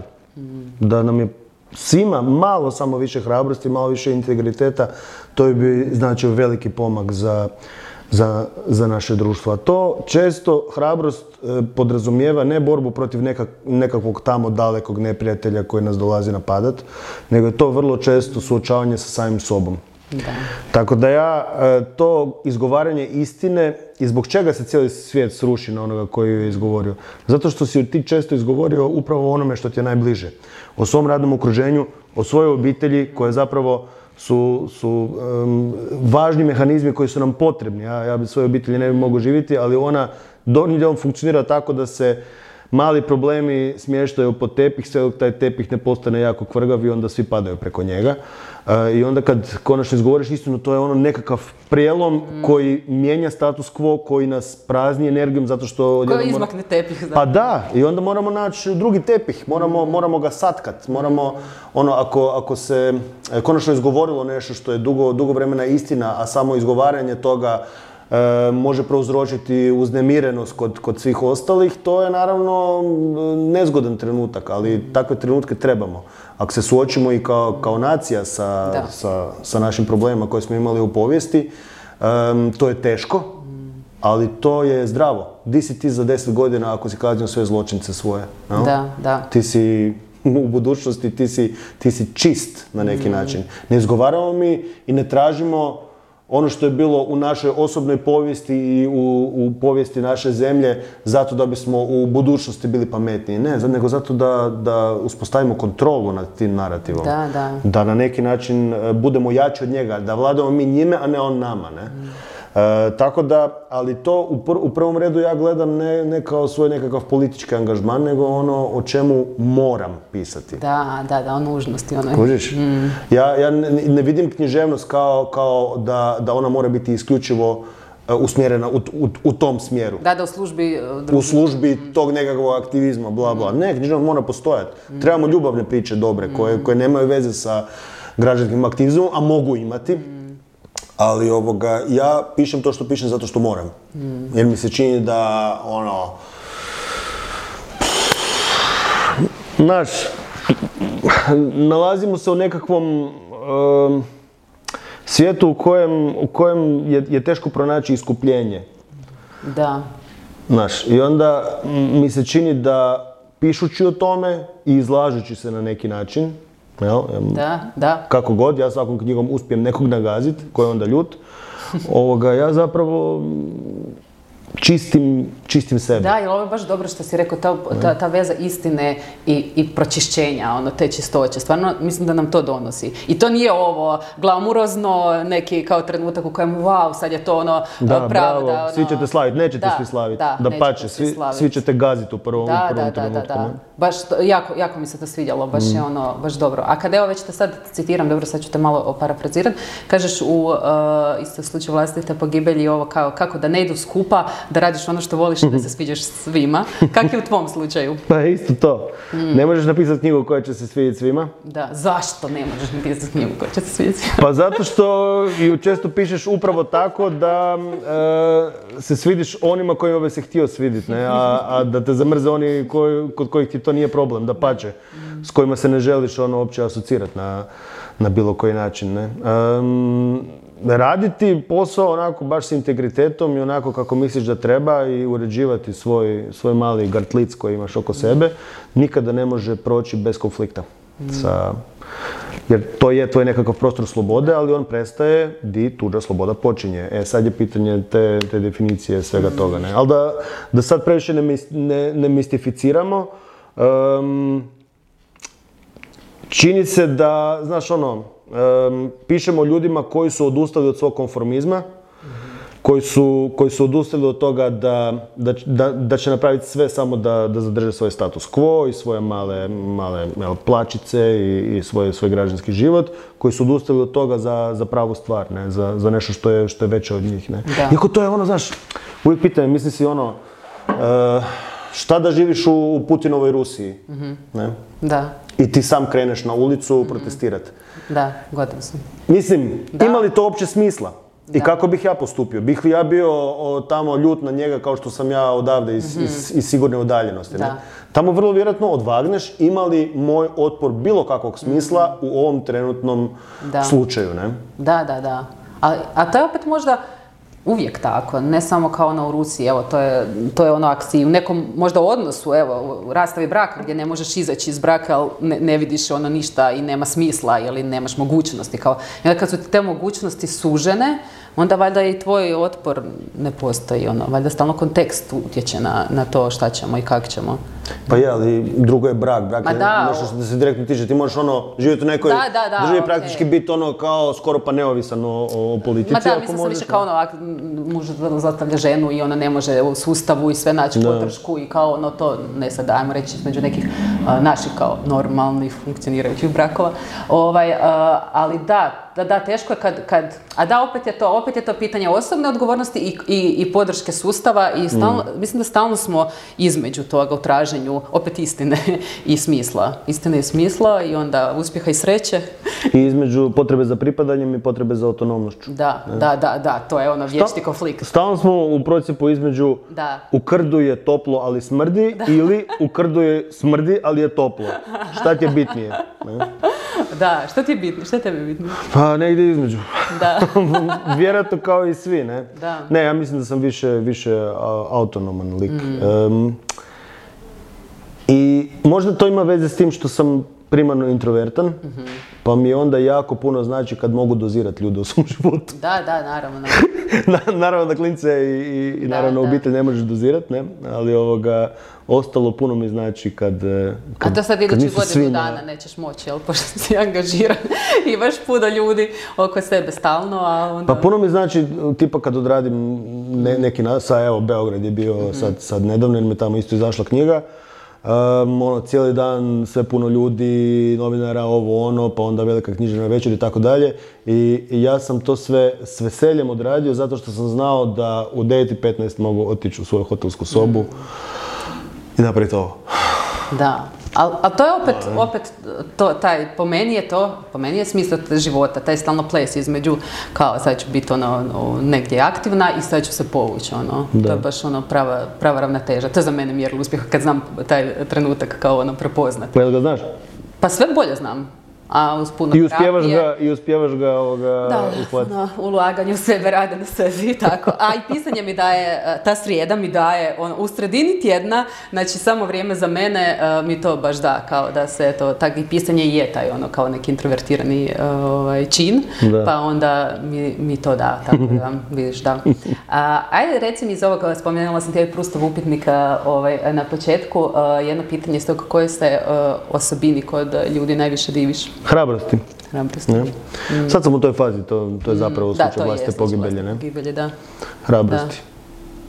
Da nam je svima malo samo više hrabrosti, malo više integriteta, to bi značio veliki pomak za naše društvo. A to često hrabrost podrazumijeva ne borbu protiv nekakvog tamo dalekog neprijatelja koji nas dolazi napadat, nego je to vrlo često suočavanje sa samim sobom. Da. Tako da ja to izgovaranje istine i zbog čega se cijeli svijet sruši na onoga koji je izgovorio. Zato što si ti često izgovorio upravo o onome što ti je najbliže. O svom radnom okruženju, o svojoj obitelji koje zapravo su važni mehanizmi koji su nam potrebni. Ja bi svoje obitelji ne bi mogao živjeti, ali ona donji dijelom funkcionira tako da se mali problemi smještaju pod tepih, sve dok taj tepih ne postane jako kvrgav i onda svi padaju preko njega. I onda kad konačno izgovoriš istinu, to je ono nekakav prijelom koji mijenja status quo, koji nas prazni energijom zato što... Koji izmakne tepih. Pa da, i onda moramo naći drugi tepih, moramo ga satkat, moramo, ako se konačno izgovorilo nešto što je dugo vremena istina, a samo izgovaranje toga može prouzročiti uznemirenost kod svih ostalih, to je naravno nezgodan trenutak, ali takve trenutke trebamo. Ako se suočimo i kao nacija sa našim problemima koje smo imali u povijesti, to je teško, ali to je zdravo. Di si ti za 10 godina ako si kaznio sve zločince svoje? No? Da. Ti si u budućnosti, ti si čist na neki način. Ne izgovaramo mi i ne tražimo ono što je bilo u našoj osobnoj povijesti i u povijesti naše zemlje zato da bismo u budućnosti bili pametniji. Ne, nego zato da uspostavimo kontrolu nad tim narativom. Da na neki način budemo jači od njega, da vladamo mi njime, a ne on nama. Ne? Tako da, ali to u prvom redu ja gledam ne kao svoj nekakav politički angažman, nego ono o čemu moram pisati. Da, o nužnosti. Kužiš? Ja ne vidim književnost kao da ona mora biti isključivo usmjerena u tom smjeru. Da, u službi tog nekakvog aktivizma, bla bla. Ne, književnost mora postojati. Trebamo ljubavne priče dobre, koje nemaju veze sa građanskim aktivizmom, a mogu imati. Ali ja pišem to što pišem zato što moram. Jer mi se čini da nalazimo se u nekakvom svijetu u kojem je teško pronaći iskupljenje. Da. I onda mi se čini da pišući o tome i izlažući se na neki način, Da. kako god, ja svakom knjigom uspijem nekog nagaziti, koji je onda ljut, ja zapravo čistim sebe. Da, jer ovo je baš dobro što si rekao, ta veza istine i pročišćenja, te čistoće. Stvarno, mislim da nam to donosi. I to nije ovo glamurozno, neki kao trenutak u kojem, wow, sad je to pravda. Bravo, svi ćete slaviti, nećete svi slaviti. Da pače, svi ćete gaziti u prvom trenutku. Da. Baš, jako mi se to svidjelo, baš dobro. A kada već te sad citiram, dobro, sad ću te malo parafrazirati, kažeš u isto slučaju vlastite pogibelji ovo kao kako da ne idu skupa, da radiš ono što voliš i da se sviđaš svima. Kak je u tvom slučaju? Pa isto to. Ne možeš napisati knjigu koja će se svidjeti svima. Da, zašto ne možeš napisati knjigu koja će se svidjeti svima? Pa zato što ju često pišeš upravo tako da se svidiš onima kojima bi se htio svidjeti, a da te zamrze oni kod kojih ti to nije problem, da pače, s kojima se ne želiš uopće asocirati na bilo koji način. Raditi posao onako baš s integritetom i onako kako misliš da treba i uređivati svoj mali gartlic koji imaš oko sebe, nikada ne može proći bez konflikta. Jer to je tvoj nekakav prostor slobode, ali on prestaje di tuđa sloboda počinje. Sad je pitanje te definicije svega toga. Ali da sad previše ne mistificiramo, čini se da, znaš pišemo ljudima koji su odustali od svog konformizma, koji su odustali od toga da će napraviti sve samo da zadrže svoj status quo i svoje male plačice i svoj građanski život, koji su odustali od toga za pravu stvar, za nešto što je veće od njih. Iako to je znaš, uvijek pitanje, misli si šta da živiš u Putinovoj Rusiji? Da. I ti sam kreneš na ulicu protestirati. Da, gotovo sam. Mislim, ima li to uopće smisla? I kako bih ja postupio? Bih li ja bio tamo ljut na njega kao što sam ja odavde iz sigurne udaljenosti? Ne? Tamo vrlo vjerojatno odvagneš ima li moj otpor bilo kakvog smisla u ovom trenutnom slučaju. Ne? Da. A to je opet možda uvijek tako, ne samo kao ono u Rusiji, evo, to je ono ako si u nekom možda odnosu, evo, u rastavi braka gdje ne možeš izaći iz braka, ali ne vidiš ono ništa i nema smisla ili nemaš mogućnosti. I onda kad su te mogućnosti sužene, onda valjda i tvoj otpor ne postoji, valjda stalno kontekst utječe na to šta ćemo i kako ćemo. Pa je, ali drugo je brak. Brak je nešto što se direktno tiče. Ti možeš živjeti u nekoj državi praktički biti kao skoro pa neovisan o politici. Mislim sam više kao ako muž zlostavlja ženu i ona ne može u sustavu i sve naći podršku i kao to, ne sad dajmo reći između nekih naših kao normalnih funkcionirajućih brakova. Ali da, teško je kad opet je to pitanje osobne odgovornosti i podrške sustava i mislim da stalno smo između toga u traženju opet istine i smisla. Istine i smisla i onda uspjeha i sreće. I između potrebe za pripadanjem i potrebe za autonomnošću. Da, to je vječni konflikt. Stalno smo u procjepu između u krdu je toplo ali smrdi ili u krdu je smrdi ali je toplo. Šta ti je bitnije? Ne? Da, što ti je bitnije? Što je tebi bitnije? Pa negdje između. Da. Vjerojatno kao i svi, ne? Da. Ne, ja mislim da sam više autonoman lik. I možda to ima veze s tim što sam primarno introvertan, pa mi onda jako puno znači kad mogu dozirati ljude u svom životu. Da, naravno. Naravno da klince i naravno obitelj ne možeš dozirati, ne? Ali ostalo puno mi znači kad a to sad idući godinu dana nećeš moći, jel? Pošto si angažiran, imaš puno ljudi oko sebe stalno, a onda... Pa puno mi znači, tipa kad odradim neki evo Beograd je bio sad nedavno jer me tamo isto izašla knjiga. Cijeli dan sve puno ljudi, novinara, pa onda velika književna večer i tako dalje. I ja sam to sve s veseljem odradio zato što sam znao da u 9:15 mogu otići u svoju hotelsku sobu i napraviti ovo. Da, ali to je opet po meni je smisao života, taj stalno ples između, kao sad ću biti negdje aktivna i sad ću se povući, to je baš prava ravnoteža. To je za mene mjerilo uspjeha kad znam taj trenutak kao prepoznati. Pa jel ga znaš? Pa sve bolje znam. A uz puno terapije. I uspijevaš ga uhvatiti. Da, ulaganju u sebe, rade na sebi i tako. A i pisanje mi daje, ta srijeda mi daje, u sredini tjedna, znači samo vrijeme za mene mi to baš da, kao da se to, tak i pisanje je taj kao neki introvertirani čin, pa onda mi to da, tako da vidiš, da. Ajde, reci mi iz ovoga, spomenula sam ti Proustov upitnik na početku, jedno pitanje iz toga koje se osobini kod ljudi najviše diviš? Hrabrosti. Sad sam u toj fazi, to je zapravo slučaj vlastite pogibelje, ne? Hrabrosti.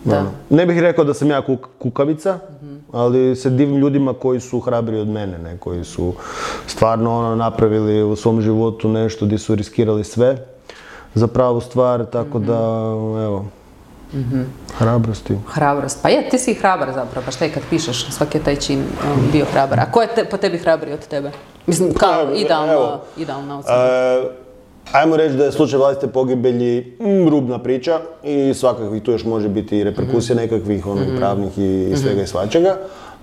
Da. Ne bih rekao da sam ja kukavica, ali se divim ljudima koji su hrabri od mene, ne? Koji su stvarno napravili u svom životu nešto gdje su riskirali sve za pravu stvar, tako da, evo, hrabrosti. Hrabrost. Pa je, ti si hrabar zapravo, pa šta je kad pišeš, svaki je taj čin bio hrabar. A ko je po tebi hrabri od tebe? Mislim, kao idealna ocjena. Ajmo reći da je slučaj vlastite pogibelji rubna priča i svakakvih tu još može biti i reperkusija nekakvih pravnih i svega i svačega.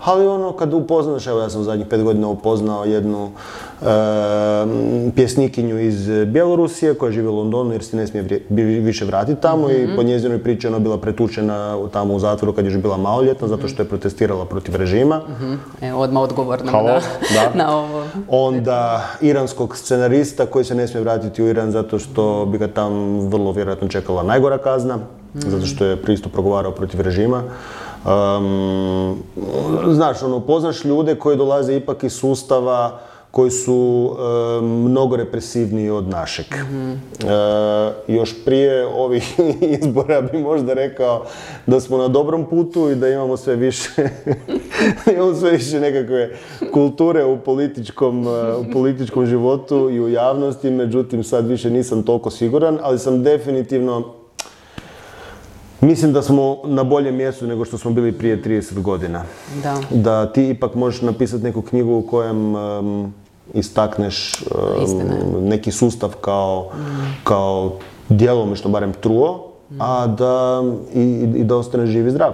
Ali kad upoznaš, evo ja sam u zadnjih 5 godina upoznao jednu pjesnikinju iz Bjelorusije koja živi u Londonu jer se ne smije više vratiti tamo i po njezinoj priči ona bila pretučena tamo u zatvoru kad je još bila maloljetna zato što je protestirala protiv režima. Odmah odgovorno na ovo. Onda iranskog scenarista koji se ne smije vratiti u Iran zato što bi ga tam vrlo vjerojatno čekala najgora kazna zato što je pristup progovarao protiv režima. Znaš, poznaš ljude koji dolaze ipak iz sustava koji su mnogo represivniji od našeg. Još prije ovih izbora bi možda rekao da smo na dobrom putu i da imamo sve više nekakve kulture u političkom životu i u javnosti, međutim sad više nisam toliko siguran, ali sam definitivno mislim da smo na boljem mjestu nego što smo bili prije 30 godina. Da ti ipak možeš napisati neku knjigu u kojem istakneš neki sustav kao djelomično barem truo, a da i da ostane živ i zdrav.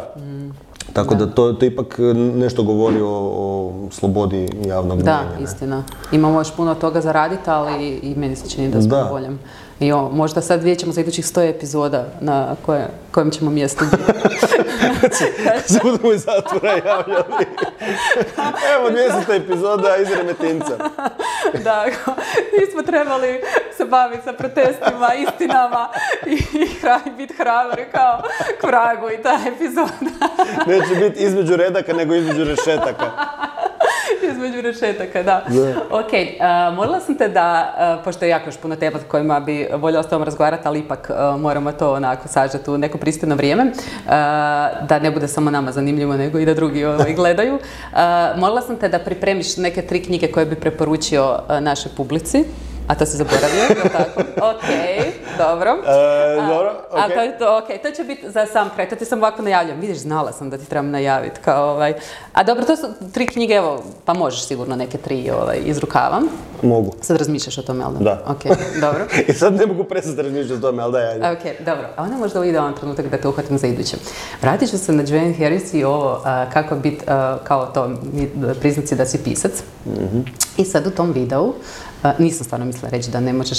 Tako da to ipak nešto govori o slobodi javnog mnijenja. Da, istina. Imamo još puno toga za raditi, ali i meni se čini da smo u boljem. I možda sad vidjet ćemo za idućih 100 epizoda na kojem ćemo mjestu biti. Se budemo iz zatvora javljali. Evo 200 epizoda iz Remetinca. Da, nismo trebali se baviti sa protestima, istinama i biti hrabri kao k vragu i ta epizoda. Neće biti između redaka, nego između rešetaka. Između rešetaka, da. Ok, molila sam te da, pošto je jako još puno tema kojima bi voljela s tobom razgovarati, ali ipak moramo to onako sažeti u neko pristojno vrijeme, da ne bude samo nama zanimljivo, nego i da drugi gledaju. Molila sam te da pripremiš neke 3 knjige koje bi preporučio našoj publici. A to si zaboravio, je li tako? Ok, dobro. Dobro, ok. To će biti za sam kraj, to ti sam ovako najavljam. Vidiš, znala sam da ti trebam najaviti. A dobro, to su 3 knjige, evo, pa možeš sigurno neke 3 iz rukava. Mogu. Sad razmišljaš o tome, ali da? Ok, dobro. I sad ne mogu prestati razmišljati o tome, ali daj, ajde. Ok, dobro. A onda možda idealan trenutak da te uhvatim za iduće. Vratit ću se na Joanne Harris i ovo kako biti, kao to, priznaci da si pisac. I sad u tom videu, nisam stvarno mislila reći da ne možeš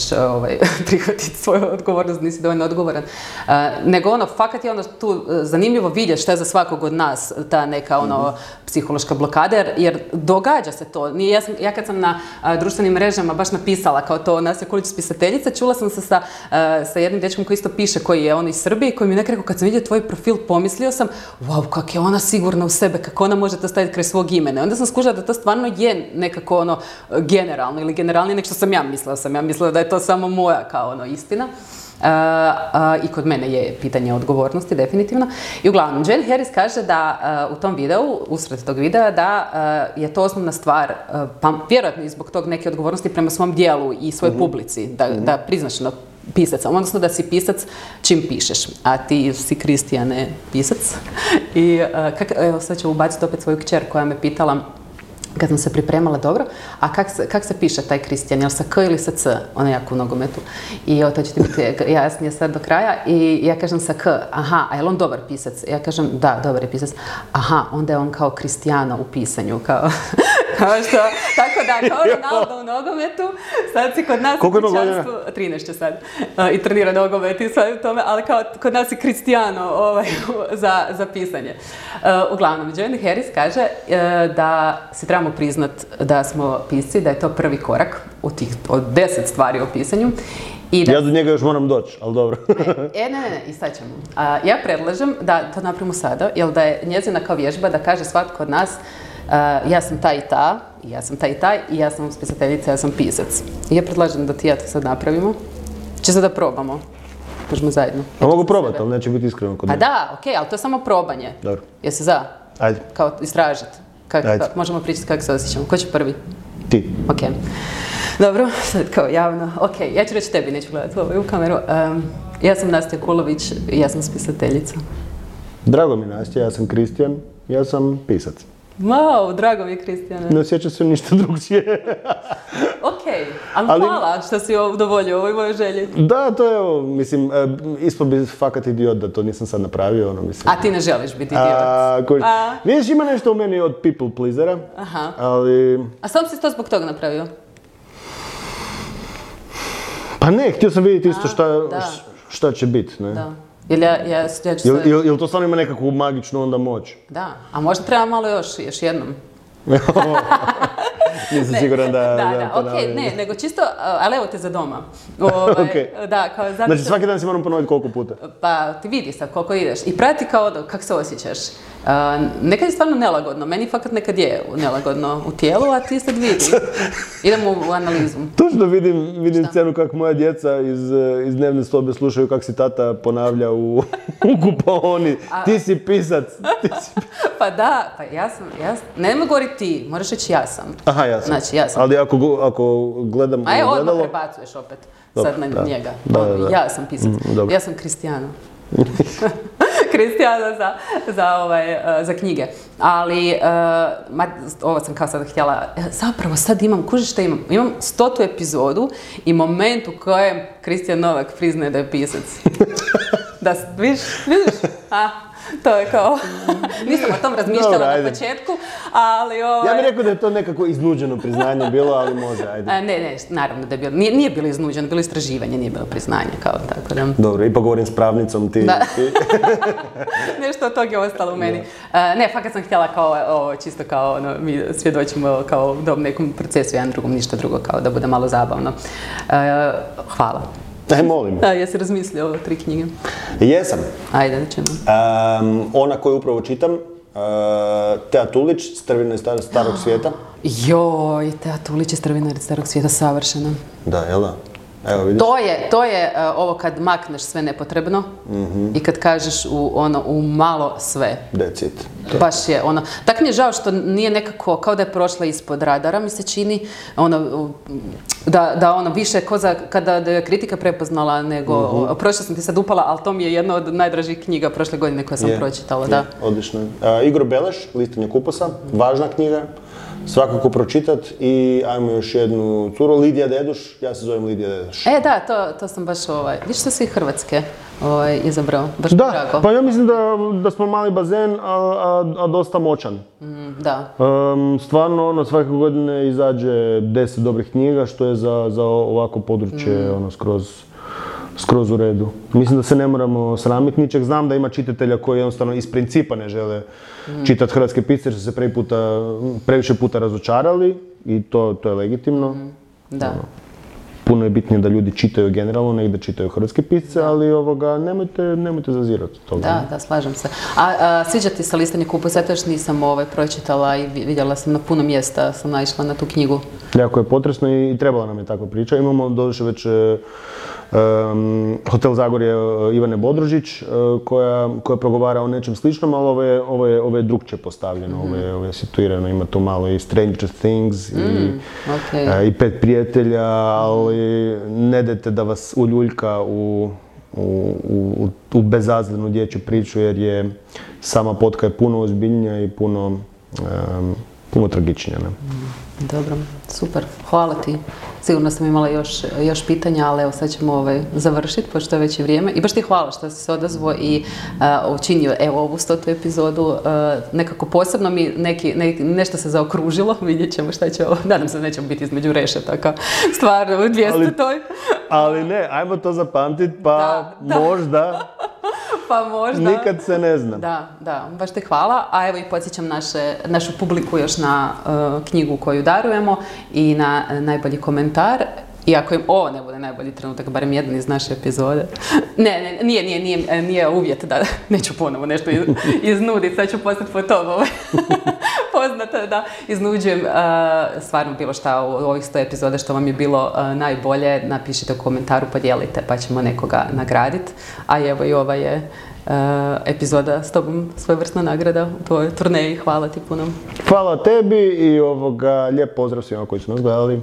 prihvatiti svoju odgovornost, nisi dovoljno odgovoran. Nego fakat je tu zanimljivo vidjeti šta je za svakog od nas ta neka psihološka blokada, jer događa se to. Ja kad sam na društvenim mrežama baš napisala kao to nas je Kulić pisateljica, čula sam se sa jednim dečkom koji isto piše, koji je on iz Srbije, koji mi je nekako rekao kad sam vidio tvoj profil, pomislio sam, wow, kak je ona sigurna u sebe, kako ona može to staviti kraj svog imena. Onda sam skužila da to stvarno je nekako generalno ili generalnije nek što sam ja mislila. Ja mislila da je to samo moja kao istina. I kod mene je pitanje odgovornosti, definitivno. I uglavnom, Joanne Harris kaže da u tom videu, usred tog videa, da je to osnovna stvar, pa vjerojatno i zbog tog neke odgovornosti prema svom dijelu i svojoj publici, da priznaš pisac, odnosno da si pisac čim pišeš, a ti si Kristijane pisac. I evo sad ću ubaciti opet svoju kćer koja me pitala kad sam se pripremala dobro, a kak se piše taj Kristijan, jel sa K ili sa C? Ona je jako u nogometu. I to će ti biti jasnije sad do kraja. I ja kažem sa K, aha, a je li on dobar pisac? Ja kažem, da, dobar je pisac. Aha, onda je on kao Kristijano u pisanju, kao što, tako da, kao Ronaldo u nogometu, sad si kod nas u kućanstvu, 13 će sad, i trenira nogomet i sve u tome, ali kao kod nas je Kristijano za pisanje. Uglavnom, Joanne Harris kaže da se trebamo priznat da smo pisci, da je to prvi korak od 10 stvari o pisanju. Ja do njega još moram doći, ali dobro. Ne, i sad ćemo. Ja predlažem da to napravimo sada, jer da je njezina kao vježba da kaže svatko od nas ja sam ta i ta, ja sam taj i taj, i ja sam pisateljica, ja sam pisac. I ja predlažem da ti ja to sad napravimo. Će sad da probamo. Možemo zajedno. A mogu probati, ali neće biti iskreno kod mene. Pa da, okej, ali to je samo probanje. Dobro. Jesi za? Ajde. Kao istražiti. Ajde. Možemo pričati kako se osjećamo. Ko će prvi? Ti. Ok. Dobro, sad kao javno. Ok, ja ću reći tebi, neću gledati u kameru. Ja sam Nastja Kulović i ja sam spisateljica. Drago mi Nastja, ja sam Kristijan, ja sam pisac. Wow, drago mi je Kristijane. Ne osjećam se ništa drugčije. Okej, ali hvala što si udovoljio ovoj mojoj želji. Da, to je, mislim, ispod bi fakat idiot da to nisam sad napravio, mislim. A ti ne želiš biti idiot? Vidiš, ima nešto u meni od people pleasera, ali... A sam si to zbog toga napravio? Pa ne, htio sam vidjeti isto šta će biti, ne? Da. Jel to stvarno ima nekakvu magičnu onda moć? Da, a možda treba malo još jednom. Nisam siguran da... Da, okej, ne, nego čisto, ali evo te za doma. Da, kao zato... Znači svaki dan si moram ponoviti koliko puta? Pa ti vidi sad koliko ideš i prati kao kako se osjećaš. Nekad je stvarno nelagodno, meni fakat nekad je nelagodno u tijelu, a ti sad vidi. Idemo u analizu. Točno vidim scenu kako moja djeca iz dnevne sobe slušaju kako si tata ponavlja u kupaoni. Ti si pisac. Pa da, pa ja sam, ne mogu govoriti ti, moraš reći ja sam. Aha, ja sam. Znači, ja sam. Ali ako gledam... A evo, odmah prebacuješ opet sad na njega. Ja sam pisac. Ja sam Kristijano. Kristijana za knjige. Ali, ovo sam kao sada htjela, zapravo sad kužiš šta imam? Imam 100. epizodu i moment u kojem Kristijan Novak priznaje da je pisac. Da, vidiš? To je kao, nisam o tom razmišljala na početku, ali Ja bih rekao da je to nekako iznuđeno priznanje bilo, ali može, ajde. Ne, naravno da je bilo, nije bilo iznuđeno, bilo istraživanje, nije bilo priznanje, kao tako da. Dobro, ipak govorim s pravnicom ti. Da. Nešto od toga je ostalo u meni. Ne, fakat sam htjela kao, čisto kao, mi svjedočimo kao u nekom procesu, jedan drugom, ništa drugo, kao da bude malo zabavno. Hvala. Molim. Jesi razmislio o 3 knjige? Jesam. Ajde, da ćemo. Ona koju upravo čitam, Tea Tulić, Strvinari starog svijeta. Joj, Tea Tulić je Strvinari starog svijeta, savršeno. Da, jel da? Evo vidiš. To je ovo kad makneš sve nepotrebno i kad kažeš u malo sve. That's it. Baš je ono. Tako mi je žao što nije nekako, kao da je prošla ispod radara, mi se čini, da više kada je kritika prepoznala nego, prošla sam ti sad upala, ali to mi je jedna od najdražih knjiga prošle godine koje sam pročitala, da. Odlično. Igor Beleš, Listanje kupusa, važna knjiga. Svakako pročitat i ajmo još jednu curu, Lidija Deduš, ja se zovem Lidija Deduš. Da, to sam baš, vidiš što si Hrvatske izabrao, baš da, drago. Pa ja mislim da smo mali bazen, a dosta moćan. Da. Stvarno, svake godine izađe 10 dobrih knjiga, što je za ovako područje skroz u redu. Mislim da se ne moramo sramiti ničeg. Znam da ima čitatelja koji jednostavno iz principa ne žele čitati hrvatske pisce jer su se previše puta razočarali i to je legitimno. Da. Puno je bitnije da ljudi čitaju generalno, nek da čitaju hrvatske pisce, ali nemojte zazirati toga. Da, slažem se. A sviđa ti se Listanje kupusa? Ja to još nisam pročitala i vidjela sam na puno mjesta, sam naišla na tu knjigu. Jako je potresno i trebala nam je takva priča. Imamo doduše već Hotel Zagorje Ivane Bodrožić koja progovara o nečem sličnom, ali ovo je drugčije postavljeno, ovo je situirano, ima tu malo i Stranger Things i 5 prijatelja, ali ne dajte da vas uljuljka u bezazlenu dječju priču jer je sama potka je puno ozbiljnija i puno tragičnija. Dobro, super, hvala ti. Sigurno sam imala još pitanja, ali evo sad ćemo završiti, pošto je već i vrijeme. I baš ti hvala što si se odazvao i učinio ovu 100. epizodu. Nekako posebno mi nešto se zaokružilo, vidjet ćemo šta će ovo. Nadam se da nećemo biti između rešetaka, stvarno, u 200. Ali ne, ajmo to zapamtiti, pa možda... Pa možda. Nikad se ne zna. Da, baš te hvala. A evo i podsjećam našu publiku još na knjigu koju darujemo i na najbolji komentar. I ako im ovo ne bude najbolji trenutak, barem jedan iz naše epizode. Ne, nije uvjet da neću ponovo nešto iznuditi, sad ću postati po tomu poznata da iznuđujem stvarno bilo šta u ovih 100 epizode što vam je bilo najbolje, napišite u komentaru, podijelite pa ćemo nekoga nagraditi. A evo i ova je epizoda s tobom svojevrsna nagrada u tvojoj turneji. Hvala ti puno. Hvala tebi i lijep pozdrav svima koji su nas gledali.